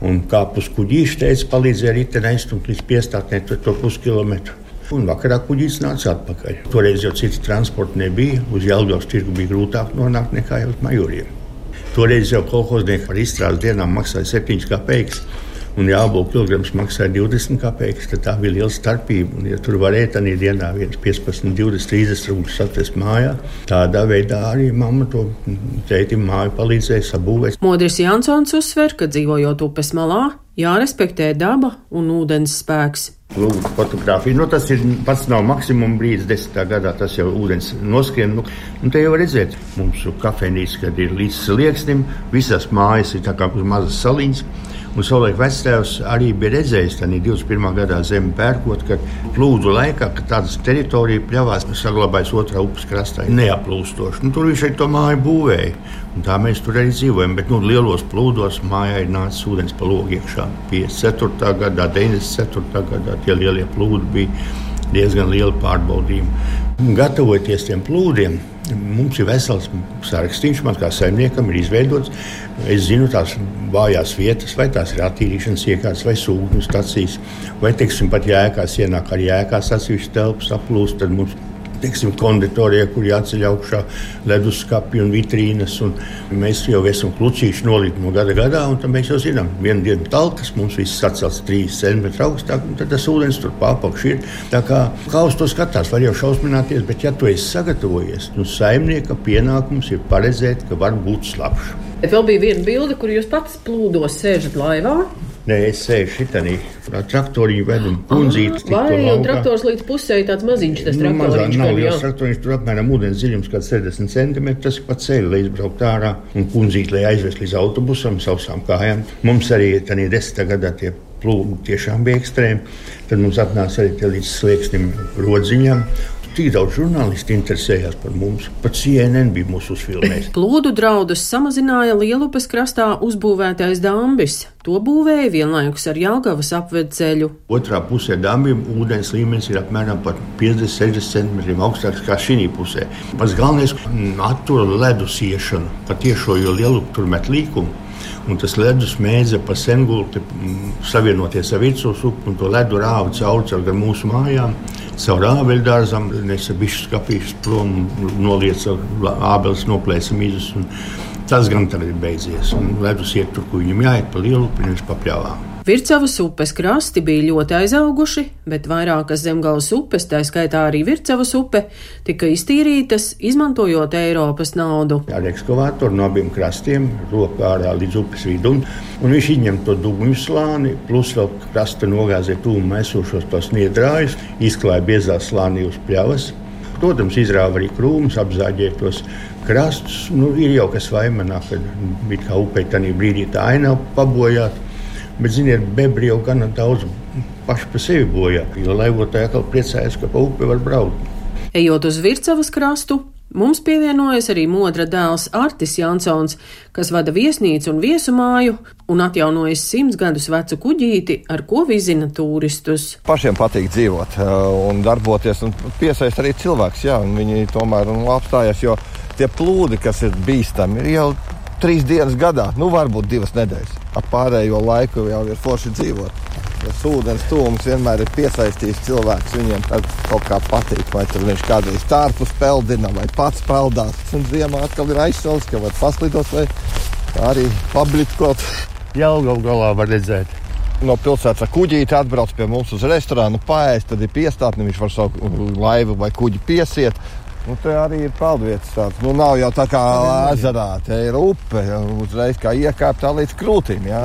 Un kāp uz kuģīšu, teica, palīdzēja riteni aizstumt līdz piestātnē to puskilometru. Un vakarā kuģīts nāca atpakaļ. Toreiz jau citi transporti nebija, uz Jelgavas tirgu bija grūtāk nonākt nekā jau uz Majoriem. Toreiz jau kolhoznieki par izstrādes dienām maksāja septiņas kapeikas, un jābolu kilograms maksāja divdesmit kapeikas, tad tā bija liela starpība. Un, ja tur varēja tādā dienā viens piecpadsmit, divdesmit, trīsdesmit rūpes atvest mājā, tādā veidā arī mamma to tētim māju palīdzēja sabūvēt. Modris Jansons uzsver, ka dzīvojot upes malā, jārespektē daba un ūdens spēks. Lūk, fotogrāfija. Nu, tas ir pats nav maksimum brīdis, desmitā gadā tas jau ūdens noskrien. Nu, un te jau redzēt, mums kafejnīca, kad ir līdz slieksnim, visas mājas ir tā kā uz mazas saliņas. Un savulaik vectēvs arī bija redzējis, tā divdesmit pirmā gadā zemi pērkot, ka plūdu laikā, kad tādas teritorija pļavās, saglabājas otrā upes krastā, neaplūstoši. Nu, tur viņš arī to māju būvēja, un tā mēs tur arī dzīvojam. Bet nu, lielos plūdos mājā ir nācis ūdens pa logu iekšā. piecdesmit ceturtā gadā, deviņdesmit ceturtā gadā tie lielie plūdi bija diezgan lieli pārbaudījumi. Gatavoties tiem plūdiem, mums ir vesels sarakstīns, man kā saimniekam ir izveidots. Es zinu tās vājās vietas, vai tās ir attīrīšanas iekārtas vai sūkņu stacijas, vai, teiksim, pat jēkās ienāk ar jēkās atsevišķi telpas aplūst, tad mums, teiksim, konditorijā, kur jāceļ augšā leduskapi un vitrīnas, un mēs jau esam klucīši nolīti no gada gadā, un tad mēs jau zinām, vienu dienu talkas, mums viss atcelts trīs centimetri augstāk, un tad tas ūdens tur pārpakš ir. Tā kā, kā uz to skatās, var jau šausmināties, bet ja tu esi sagatavojies, nu saimnieka pienākums ir paredzēt, ka var būt slapš. Bet vēl bija viena bilde, kur jūs pats plūdos sēžat laivā. Nē, es sēžu šitanī, traktoriņu vedu un kundzīti. Vai, un traktors līdz pusē tāds maziņš, tas traktoriņš. Nu, mazā, nav liels traktoriņš, tur apmēram ūdens dziļums kāds sešdesmit centimetri, tas ir pa ceļu, lai izbraukt ārā, un kundzīti, lai aizvest līdz autobusam, sausām kājām. Mums arī tādā desmitā gadā tie plūdi tiešām bija ekstrēmi, tad mums atnāca arī tie līdz slieksnim rodziņām. Tik daudz žurnālisti interesējās par mums, pat C N N bija mūsu uzfilmējis. Plūdu draudus samazināja Lielupes krastā uzbūvētais dambis. To būvēja vienlaikus ar Jelgavas apvedceļu. Otrā pusē dambim ūdens līmenis ir apmēram par piecdesmit sešdesmit centimetriem augstāks kā šī pusē. Pats galvenais attura ledus iešanu, pa tiešo, jo Lielupa tur met līkumu. Un tas ledus mēdza pa Sengulti savienoties ar Vircavas upi, un to ledu rāva cauri caur gan mūsu mājām, caur ābeļdārzam, nesa bišķus kapīšus prom, nolieca ābeles, noplēsa mizus, un tas gan tagad ir beidzies. Un ledus iet tur, kur viņam jāiet pa Lielupu, nevis pa pļavām. Vircavas upes krasti bija ļoti aizauguši, bet vairākas Zemgales upes, tā skaitā arī Vircavas upe, tika iztīrītas, izmantojot Eiropas naudu. Ar ekskavātoru no abiem krastiem rokā ārā līdz upes vidum, un viņš izņem to dugņu slāni, plus vēl krasta nogāzē tūmā esošos tos niedrājus, izklāja biezā slānī uz pļavas. Protams, izrāva arī krūmus, apzāģēja tos krastus. Nu, ir jau kas vaimanā, kad bija kā upei tanī brīdī tā ainava pabojāt. Bet, ziniet, bebri jau gana daudz paši pa sevi bojā, jo laivotāji atkal priecājas, ka pa upi var braukt. Ejot uz Vircavas krastu, mums pievienojas arī modra dēls Artis Jansons, kas vada viesnīcu un viesumāju un atjaunojas simts gadus vecu kuģīti, ar ko vizina turistus. Pašiem patīk dzīvot un darboties un piesaist arī cilvēks, jā, un viņi tomēr apstājas, jo Tie plūdi, kas ir bīstami, ir jau trīs dienas gadā, nu varbūt divas nedēļas. Ap pārējo laiku jau ir forši dzīvot. Tas ūdens tūms vienmēr ir piesaistījis cilvēks, viņiem tad kaut kā patīk, vai tur viņš kādreiz tārpus peldina, vai pats peldās. Un ziemā atkal ir aizsauls, ka var paslidot vai arī pablitkot. Jelgavu galā var redzēt. No pilsētas ar kuģīti atbrauc pie mums uz restorānu, paēst, tad ir piestātni, viņš var savu laivu vai kuģi piesiet. Nu, te arī ir peldvietas tāds. Nu, nav jau tā kā ezerā, te ir upe, uzreiz kā iekāpt tā līdz krūtīm, jā.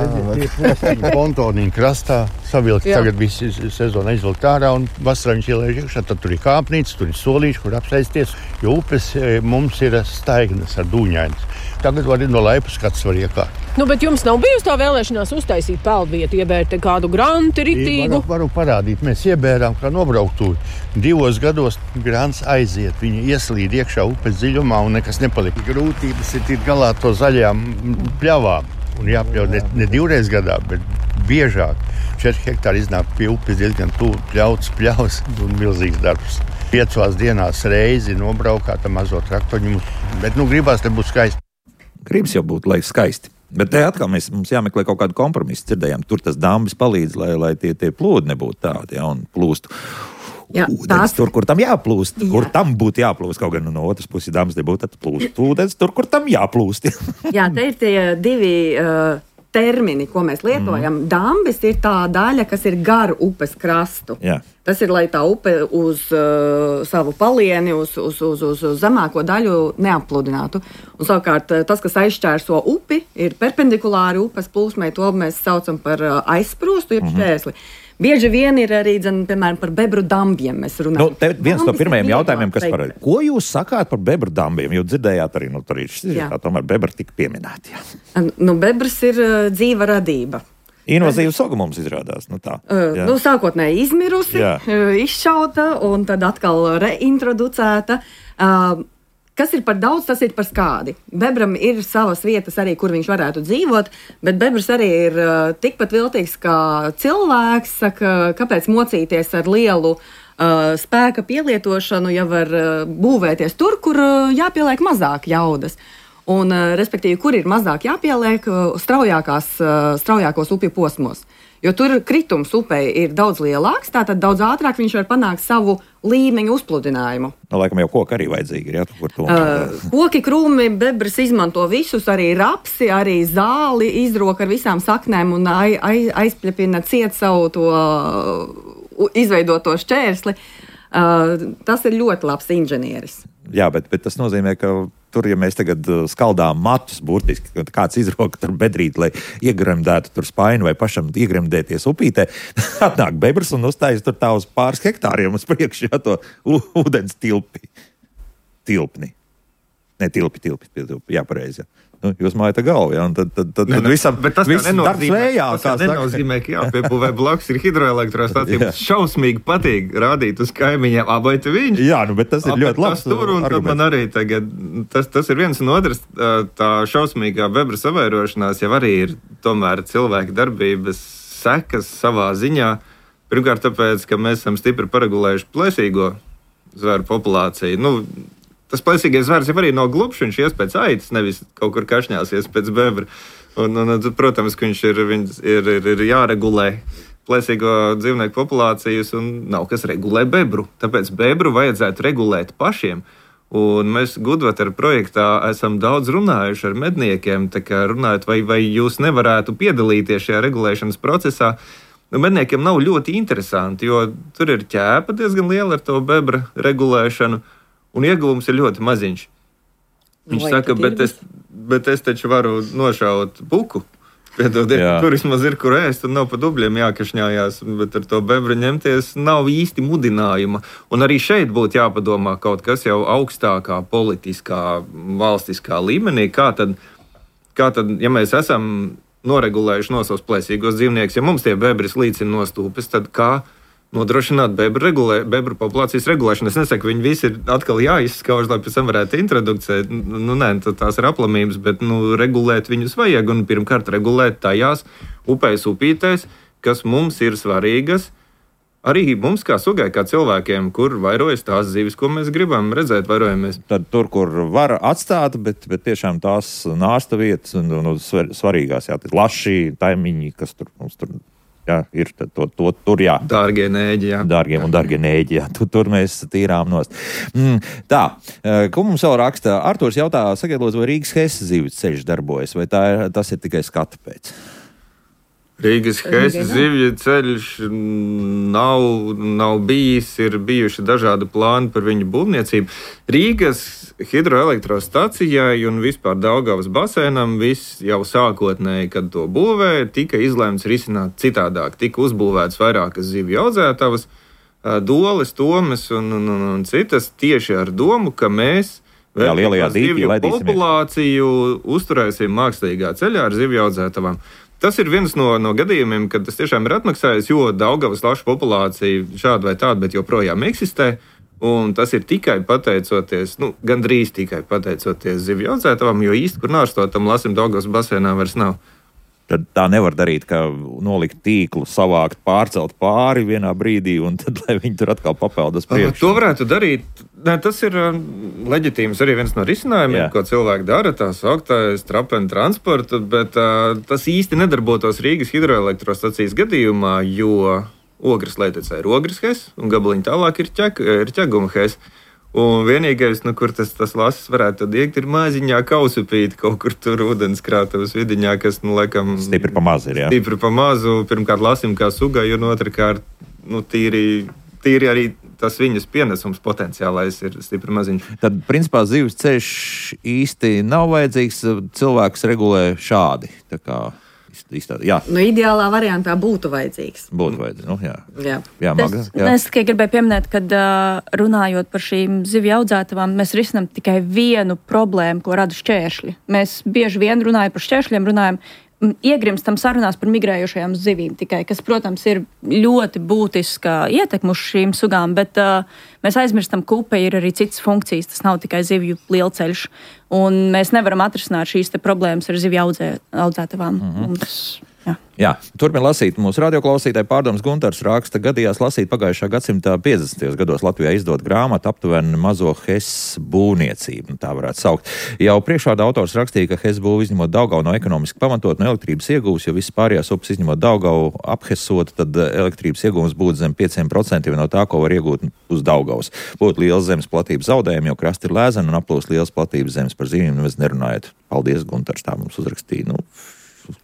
Pontonīna krastā savilkt, tagad visi sezona izvilkt ārā un vasarā viņš ielēž iekšā, tad tur ir kāpnīca, tur ir solīši, kur apsēsties, jo upes mums ir staignas ar dūņainas. Tagad var ir no laipas, kāds var iekāpt. Nu, bet jums nav bijusi tā vēlēšanās uztaisīt peldvietu, iebērt kādu granti ritīgu? Varu, varu parādīt, mēs iebērām kā nobrauktūri. Divos gados grants aiziet, viņi ieslīd iekšā upes dziļumā un nekas nepalika. Grūtības ir tikt galā to zaļām pļavām. Un jāpļauj ne, ne divreiz gadā, bet biežāk. Četri hektāri iznāk pie upes diezgan tuvu, pļauts, pļaus un milzīgs darbs. Piecās dienās reizi nobraukāt mazo traktoņu, bet nu gribās te būt skaisti. Gribas jau būt, lai skaisti. Bet te atkal mēs, mums jāmeklē kaut kādu kompromisu. Dzirdējām, tur tas dambis palīdz, lai, lai tie, tie plūdi nebūtu tādi, ja, un plūstu. Jā, ūdens tās... tur, kur tam jāplūst, jā. Kur tam būtu jāplūst. Kaut gan no otras puses dambis nebūtu, tad plūst ūdens tur, kur tam jāplūst. Jā, te ir tie divi uh, termini, ko mēs lietojam. Mm. Dambis ir tā daļa, kas ir gar upes krastu. Jā. Tas ir, lai tā upe uz uh, savu palieni, uz, uz, uz, uz, uz zemāko daļu neappludinātu. Un savukārt tas, kas aizšķērso upi, ir perpendikulāri upes plūsmai, to mēs saucam par uh, aizsprostu, jeb šķērsli. Mm-hmm. Bieži vien ir arī, dzen, piemēram, par bebru dambiem mēs runājam. Nu, te viens no pirmajiem jautājumiem, kas par... Ko jūs sakāt par bebru dambiem? Jo dzirdējāt arī, nu, tur ir šis, tā tomēr bebra tika pieminēti. Nu, bebras ir uh, dzīva radība. Invazīva suga mums izrādās. Nu tā, uh, nu, sākotnēji izmirusi, uh, izšauta un tad atkal reintroducēta. Uh, Kas ir par daudz, tas ir par skādi. Bebram ir savas vietas arī, kur viņš varētu dzīvot, bet bebrs arī ir uh, tikpat viltīgs kā cilvēks, saka, kāpēc mocīties ar lielu uh, spēka pielietošanu, ja var uh, būvēties tur, kur uh, jāpieliek mazāk jaudas. Un, uh, respektīvi, kur ir mazāk jāpieliek uh, straujākās, uh, straujākos upju posmos. Jo tur kritums upei ir daudz lielāks, tātad daudz ātrāk viņš var panākt savu līmeņu uzpludinājumu. No, laikam jau koki arī vajadzīgi ir, jā? Kur to... uh, koki, krūmi, bebras izmanto visus, arī rapsi, arī zāli, izroka ar visām saknēm un ai, ai, aizpļepina ciet savu to uh, izveidoto šķērsli. Uh, tas ir ļoti labs inženieris. Jā, bet, bet tas nozīmē, ka tur, ja mēs tagad skaldām matus, burtiski, kad kāds izroka tur bedrīt, lai iegremdētu tur spaini vai pašam iegremdēties upītē, atnāk bebrs un uzstājas tur tā uz pāris hektāriem uz priekšu, jā, to ūdens tilpi. Tilpni. Ne, tilpi, tilpi, tilpi, jā, pareizi, jā. Nu, jūs mājat galvu, jā, un tad, tad, tad, tad visam, bet tas viss darbs vējā. Tas nenozīmē, ka jāpiepūvē blakus ir hidroelektrostācija. Šausmīgi patīk rādīt uz kaimiņiem, abai te viņš. Jā, nu, bet tas ir ļoti labs tur, un tad man arī tagad, tas, tas ir viens un otrs, tā šausmīgā bebra savairošanās jau arī ir tomēr cilvēka darbības sekas savā ziņā. Pirmkārt tāpēc, ka mēs esam stipri paregulējuši plēsīgo zvēru populāciju. Nu, tas plēsīgais zvērs jau arī nav glupšs, viņš ies pēc aitas, nevis kaut kur kašņāsies pēc bebra. Un, un, un protams, ka viņš ir, ir, ir, ir jāregulē plēsīgo dzīvnieku populācijas, un nav kas regulē bebru. Tāpēc bebru vajadzētu regulēt pašiem. Un mēs Gudvatara projektā esam daudz runājuši ar medniekiem, tā kā runājot, vai, vai jūs nevarētu piedalīties šajā regulēšanas procesā. Nu, medniekiem nav ļoti interesanti, jo tur ir ķēpa diezgan liela ar to bebra regulēšanu. Un ieguvums ir ļoti maziņš. Viņš Vai saka, bet es, bet es taču varu nošaut puku. Piedodiet, tur vismaz ir, kur ēst, un nav pa dubļiem jākašņājās, bet ar to bebru ņemties nav īsti mudinājuma. Un arī šeit būtu jāpadomā kaut kas jau augstākā politiskā, valstiskā līmenī. Kā tad, kā tad ja mēs esam noregulējuši no savus plēsīgos dzīvniekus, ja mums tie bebri slīcina no stūpes, tad kā nodrošināt bebru, regulē, bebru populācijas regulēšanu? Es nesaku, ka viņi visi ir atkal jāizskauž, lai pēc tam varētu introducēt. Nu, nē, tās ir aplamības, bet nu, regulēt viņus vajag. Un pirmkārt regulēt tajās upēs, upītēs, kas mums ir svarīgas, arī mums kā sugai, kā cilvēkiem, kur vairojas tās zivis, ko mēs gribam redzēt, vairojamies. Tad tur, kur var atstāt, bet, bet tiešām tās nārsta vietas un, un, un svarīgās, jā, laši, taimiņi, kas tur mums tur... Jā, ir to, to, tur, jā. Dārgie nēģi, jā. Dārgie un dārgie nēģi, jā. Tur, tur mēs tīrām nost. Mm, tā, ko mums vēl raksta? Arturs jautā, sakiet, lūdzu, vai Rīgas Hesa zivju ceļš darbojas, vai tā ir, tas ir tikai skatu pēc? Rīgas Hesa zivju ceļš nav, nav bijis, ir bijuši dažādi plāni par viņu būvniecību. Rīgas hidroelektrostacijai un vispār Daugavas basēnam viss jau sākotnēji, kad to būvēja, tika izlēmts risināt citādāk. Tika uzbūvēts vairākas zivju audzētavas, Doles, Tomes un, un, un, un citas tieši ar domu, ka mēs Jā, lielajā dīķī populāciju uzturēsim mākslīgā ceļā ar zivju audzētavām. Tas ir viens no, no gadījumiem, kad tas tiešām ir atmaksājis, jo Daugavas lašu populācija šāda vai tāda, bet joprojām eksistē. Un tas ir tikai pateicoties, nu, gandrīz tikai pateicoties zivju audzētavām, jo īsti, kur nārstotam lasim Daugavas basēnā vairs nav. Tad tā nevar darīt, ka nolikt tīklu, savākt, pārcelt pāri vienā brīdī, un tad, lai viņi tur atkal papeldas priekšā. To varētu darīt. Nē, tas ir leģitīms arī viens no risinājumiem, Jā. Ko cilvēki dara, tā sauktais trapenu transportu, bet uh, tas īsti nedarbotos Rīgas hidroelektrostacijas gadījumā, jo Ogres Leitecē ir Ogres Hesa, un gabaliņi tālāk ir, ķek, ir Ķeguma Hesa. Un vienīgais, nu, kur tas, tas lasis varētu iegt, ir maziņā kausupīti kaut kur tur ūdenskrātavas vidiņā, kas, nu, laikam... Stipri pa mazu ir, jā. Stipri pa mazu, pirmkārt lasim kā sugai, un otrkārt, nu, tīri, tīri arī tas viņas pienesums potenciālais ir stipri maziņš. Tad, principā, zivs ceļš īsti nav vajadzīgs, cilvēks regulē šādi, tā kā... Izstādi, jā. Nu, ideālā variantā būtu vajadzīgs. Būtu vajadzīgs, nu, jā. Jā. Jā, Maga, es, jā. es tikai gribēju pieminēt, kad uh, runājot par šīm zivju audzētavām, mēs risinām tikai vienu problēmu, ko rada šķēršļi. Mēs bieži vien runājam par šķēršļiem, runājam, iegrimstam sarunās par migrējošajām zivīm tikai, kas, protams, ir ļoti būtiska ietekme uz šīm sugām, bet uh, mēs aizmirstam, ka upē ir arī citas funkcijas, tas nav tikai zivju lielceļš, un mēs nevaram atrisināt šīs te problēmas ar zivju audzē, audzētavām. Mm-hmm. Mums, jā. Jā, turpin lasīt. Mūsu radioklausītāji Pārdoms Guntars raksta, gadījās lasīt pagājušā gadsimtā piecdesmitajos gados Latvijā izdot grāmatu aptuveni mazo Hesas būvniecību, tā varētu saukt. Jau priekšvārda autors rakstīja, ka Hesas būva izņemot Daugavu no ekonomiski pamatot no elektrības iegūs, jo visas pārējās upes izņemot Daugavu aphesot, tad elektrības iegūms būtu zem pieciem procentiem no tā, ko var iegūt uz Daugavas. Būtu liels zemes platības zaudējumi, jo krasti ir lēzeni un aplūst liels platības zemes par zivīm, nemaz nerunājot. Paldies, Guntars, tā mums uzrakstīja. Nu,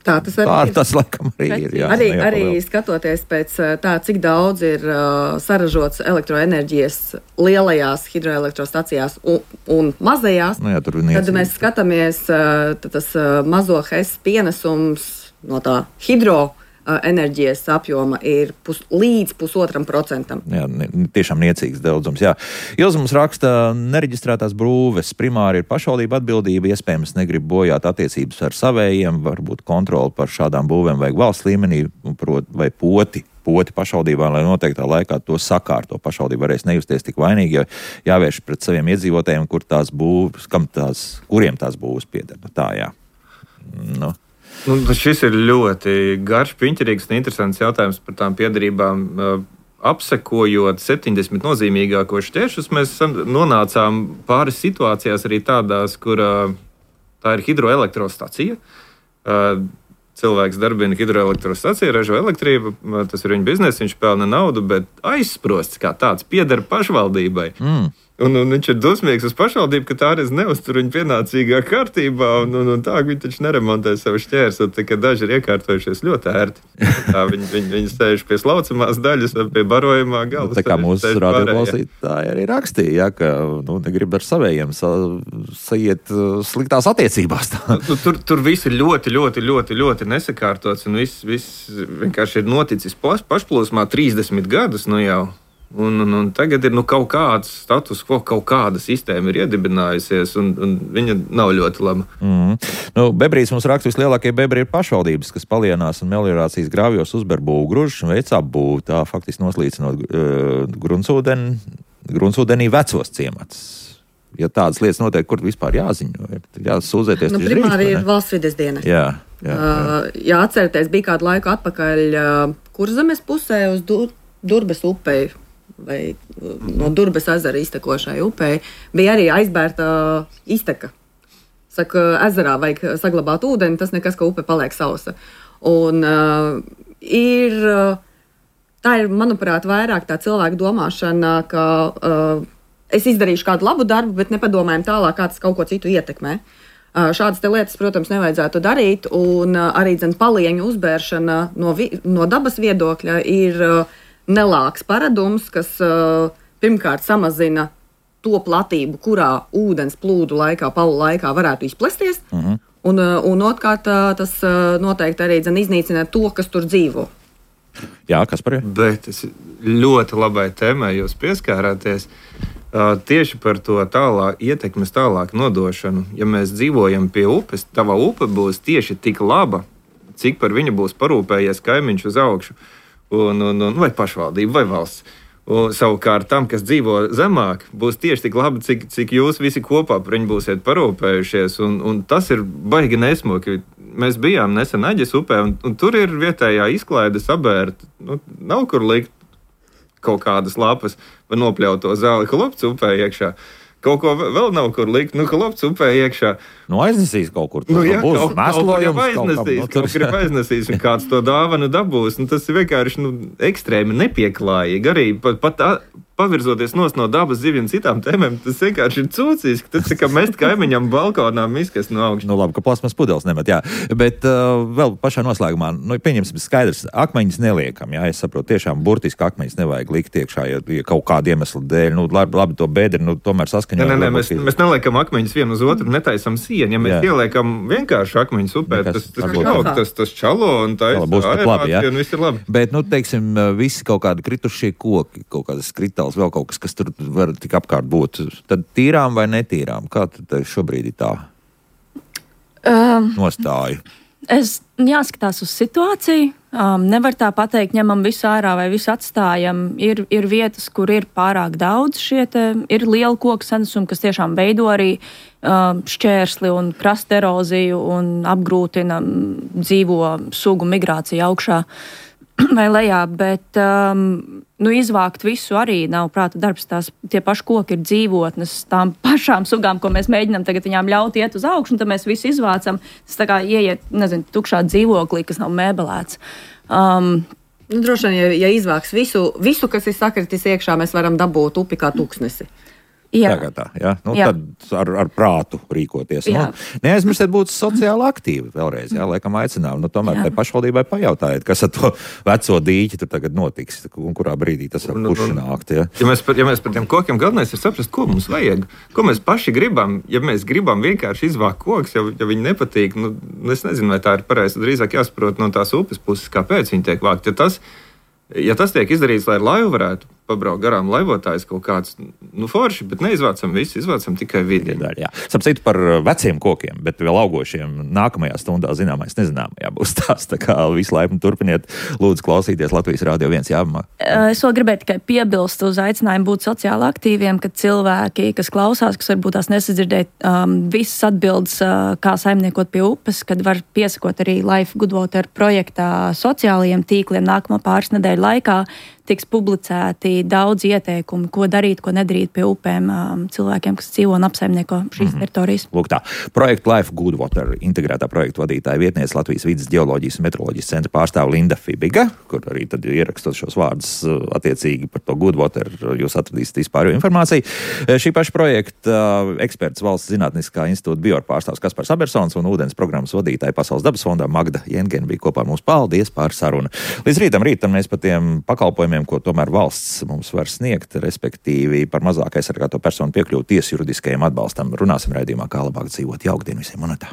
Tā tas arī tā, ir. Tas, laikam, arī ir. Jā, arī, jā, arī skatoties pēc tā, cik daudz ir uh, saražots elektroenerģijas lielajās hidroelektrostacijās un, un mazajās, nu, jā, tad mēs skatāmies, uh, tas uh, mazo Hesas pienesums no tā hidro enerģijas apjoma ir pus, līdz pusotram procentam. Jā, ne, tiešām niecīgs daudzums. Jā. Ilza mums raksta, nereģistrētās brūves primāri ir pašvaldība atbildība, iespējams negrib bojāt attiecības ar savējiem, varbūt kontroli par šādām būvēm vajag valsts līmenī, prot, vai poti. poti pašvaldībā, lai noteiktā laikā to sakārto. Pašvaldība varēs nejusties tik vainīgi, jo jāvērš pret saviem iedzīvotājiem, kur tās būvs, kam tās, kuriem tās būvs pieder. Tā, jā. Nu. Nu, šis ir ļoti garš, piņķerīgs un interesants jautājums par tām piederībām. Apsekojot septiņdesmit nozīmīgākos šķēršļus, mēs nonācām pāris situācijās arī tādās, kur tā ir hidroelektrostacija. Cilvēks darbina hidroelektrostaciju, ražo elektrību, tas ir viņa biznesa, viņš pelna naudu, bet aizsprosts kā tāds pieder pašvaldībai. Mm. Un, un viņš ir dusmīgs uz pašvaldību, ka tā arī neuztur viņu pienācīgā kārtībā, un, un, un tā viņi taču neremontē savu šķērsu, tā ka daži ir iekārtojušies ļoti ērti. Tā viņi, viņi, viņi sēž pie slaucamās daļas, pie barojumā gala. Tā kā mūsu radioklausītāji arī rakstīja, ja, ka nu, negrib ar savējiem sa, saiet sliktās attiecībās. Nu, tur, tur viss ir ļoti, ļoti, ļoti, ļoti nesakārtots, un viss, viss vienkārši ir noticis pašplūsmā trīsdesmit gadus, nu jau. Un, un, un tagad ir nu, kaut kāds status, ko kaut kāda sistēma ir iedibinājusies, un, un viņa nav ļoti laba. Mm. Nu, bebrīs mums raksta, vislielākie bebri ir pašvaldības, kas palienās un meliorācijas grāvjos uzber būvgružus un veic apbūvi, tā faktiski noslīcinot uh, gruntsūdeni, gruntsūdenī vecos ciematus. Ja tādas lietas notiek, kur vispār jāziņo, jāsūdzēties. Nu, primāri ir valsts vides dienas. Jā, jā, jā. Uh, jā, atcerieties, bija kādu laiku atpakaļ uh, Kurzemes pusē uz du Durbes upei vai no Durbes ezera iztekošai upei bija arī aizbērta izteka. Saka, ezerā vajag saglabāt ūdeni, tas nekas, ka upe paliek sausa. Un uh, ir, tā ir, manuprāt, vairāk tā cilvēka domāšana, ka uh, es izdarīšu kādu labu darbu, bet nepadomājam tālāk, kā tas kaut ko citu ietekmē. Uh, šādas te lietas, protams, nevajadzētu darīt, un uh, arī dzen palieņu uzbēršana no, vi, no dabas viedokļa ir uh, nelāks paradums, kas uh, pirmkārt samazina to platību, kurā ūdens plūdu laikā, palu laikā varētu izplesties, uh-huh. un, un otrkārt tas noteikti arī dzen iznīcina to, kas tur dzīvo. Jā, kas par jau? Bet es ļoti labai tēmai jūs pieskārāties. Uh, tieši par to tālāk, ietekmes tālāk nodošanu. Ja mēs dzīvojam pie upes, tava upe būs tieši tik laba, cik par viņu būs parūpējies kaimiņš uz augšu, un, un, un, vai pašvaldība, vai valsts. Un savukārt tam, kas dzīvo zemāk, būs tieši tik labi, cik, cik jūs visi kopā par viņu būsiet parūpējušies. Un, un tas ir baigi nesmuki. Mēs bijām nesen Aģes upē, un, un tur ir vietējā izklaide sabērta. Nu, nav kur likt kaut kādas lapas vai nopļauto zāli Holopts upē iekšā. Kaut ko vēl nav kur likt, nu, Holopts upē iekšā. Nu, aiznesīs kaut kur. Nu, jā, būs kaut, mēslojums. Kaut, kaut, aiznesīs, kaut kur aiznesīs, un kāds to dāvanu dabūs. Nu, tas ir vienkārši nu, ekstrēmi nepieklājīgi. Arī pat, pat tā, pavirzoties nos no dabas zivju un citām tēmēm, tas vienkārši ir cūcīski. Tas ir kā mest kaimiņam balkonā miskas no augšas. Nu, labi, ka plasmas pudeles nemet, jā. Bet uh, vēl pašā noslēgumā, nu, pieņemsim skaidrs, akmeņus neliekam, jā. Es saprotu, tiešām burtiski akmeņus nevajag likt iekšā, ja, ja kaut kādu iemeslu dēļ. Nu, labi, labi to bēdri, nu, tomēr saskaņot. Nē, nē, nē, mēs, mēs neliekam akmeņus vienu uz otru, netaisam sienu. Ja mēs jā. ieliekam vienkārši akmeņus upē, tas, tas, tas, tas, tas čalo un tā ir un viss ir labi. Bet, nu, teiksim, visi kaut kādi kritušie koki, kaut kādas kritāls, vēl kaut kas, kas tur var tik apkārt būt. Tad tīrām vai netīrām? Kā tad šobrīd ir tā um, nostāja? Es jāskatās uz situāciju. Um, nevar tā pateikt, ņemam visu ārā vai visu atstājam. Ir, ir vietas, kur ir pārāk daudz šie te, ir liela koku senesumi, kas tiešām veido arī um, šķērsli un krasta eroziju un apgrūtina dzīvo sugu migrāciju augšā vai lejā, bet um, nu, izvākt visu arī nav prāta darbs. Tās, tie paši koki ir dzīvotnes tām pašām sugām, ko mēs mēģinām tagad viņām ļaut iet uz augšu, un tad mēs visu izvācam. Tas tā kā ieiet, nezinu, tukšā dzīvoklī, kas nav mēbelēts. Um, nu, droši vien, ja, ja izvāks visu, visu, kas ir sakritis iekšā, mēs varam dabūt upi kā tūkstnesi. Jā. Tā kā tā, jā. Nu, jā. Tad ar, ar prātu rīkoties. Nu, neaizmirstiet būt sociāli aktīvi vēlreiz, jā, laikam aicinām. Nu, tomēr tai pašvaldībai pajautājiet, kas ar to veco dīķi tur tagad notiks un kurā brīdī tas var pušnākt. Ja. Ja mēs par, ja mēs par tiem kokiem galvenais ir saprast, ko mums vajag, ko mēs paši gribam. Ja mēs gribam vienkārši izvākt kokus, ja, ja viņi nepatīk, nu, es nezinu, vai tā ir pareizi, drīzāk jāsaprot no tās upes puses, kāpēc viņi tiek vākt. Ja tas, ja tas tiek izdarīts, lai ar laivu varētu pabraukt garām laivotājs kaut kāds, nu, forši, bet neizvācam visu, izvācam tikai vidi. Sapcīt par veciem kokiem, bet vēl augošiem nākamajā stundā zināmais nezināmajā būs tās, tā kā visu laipni turpiniet, lūdzu klausīties Latvijas Rādio viens jāmā. Es vēl gribēju tikai piebilst uz aicinājumu būt sociāli aktīviem, ka cilvēki, kas klausās, kas varbūt tās nesadzirdēt, um, visas atbildes, uh, kā saimniekot pie upes, kad var piesakot arī Life Good Water projektā sociālajiem tīkliem nākamā pāris nedēļu laikā. Tiks publicēti daudz ieteikumu, ko darīt, ko nedarīt pie upēm um, cilvēkiem, kas dzīvo un apsaimnieko šīs mm-hmm. teritorijas. Lūk tā, projekta Life Good Water integrētā projektu vadītāja vietniece Latvijas vides ģeoloģijas un meteoroloģijas centra pārstāve Linda Fibiga, kur arī tad ierakstot šos vārdus attiecīgi par to Good Water, jūs atradīsiet vispārējo informāciju. Šī paša projekta eksperts Valsts zinātniskā institūta Bior pārstāvs Kaspars Abersons un ūdens programmas vadītāja Pasaules dabas fondā Magda Jengena bija kopā ar mums. Paldies par sarunu. Līdz rītam, rītam mēs par tiem pakalpojumiem, ko tomēr valsts mums var sniegt, respektīvi par mazāk aizsargāto personu piekļuvu tiesu juridiskajam atbalstam. Runāsim raidījumā, kā labāk dzīvot. Jauktdien visiem, un tā.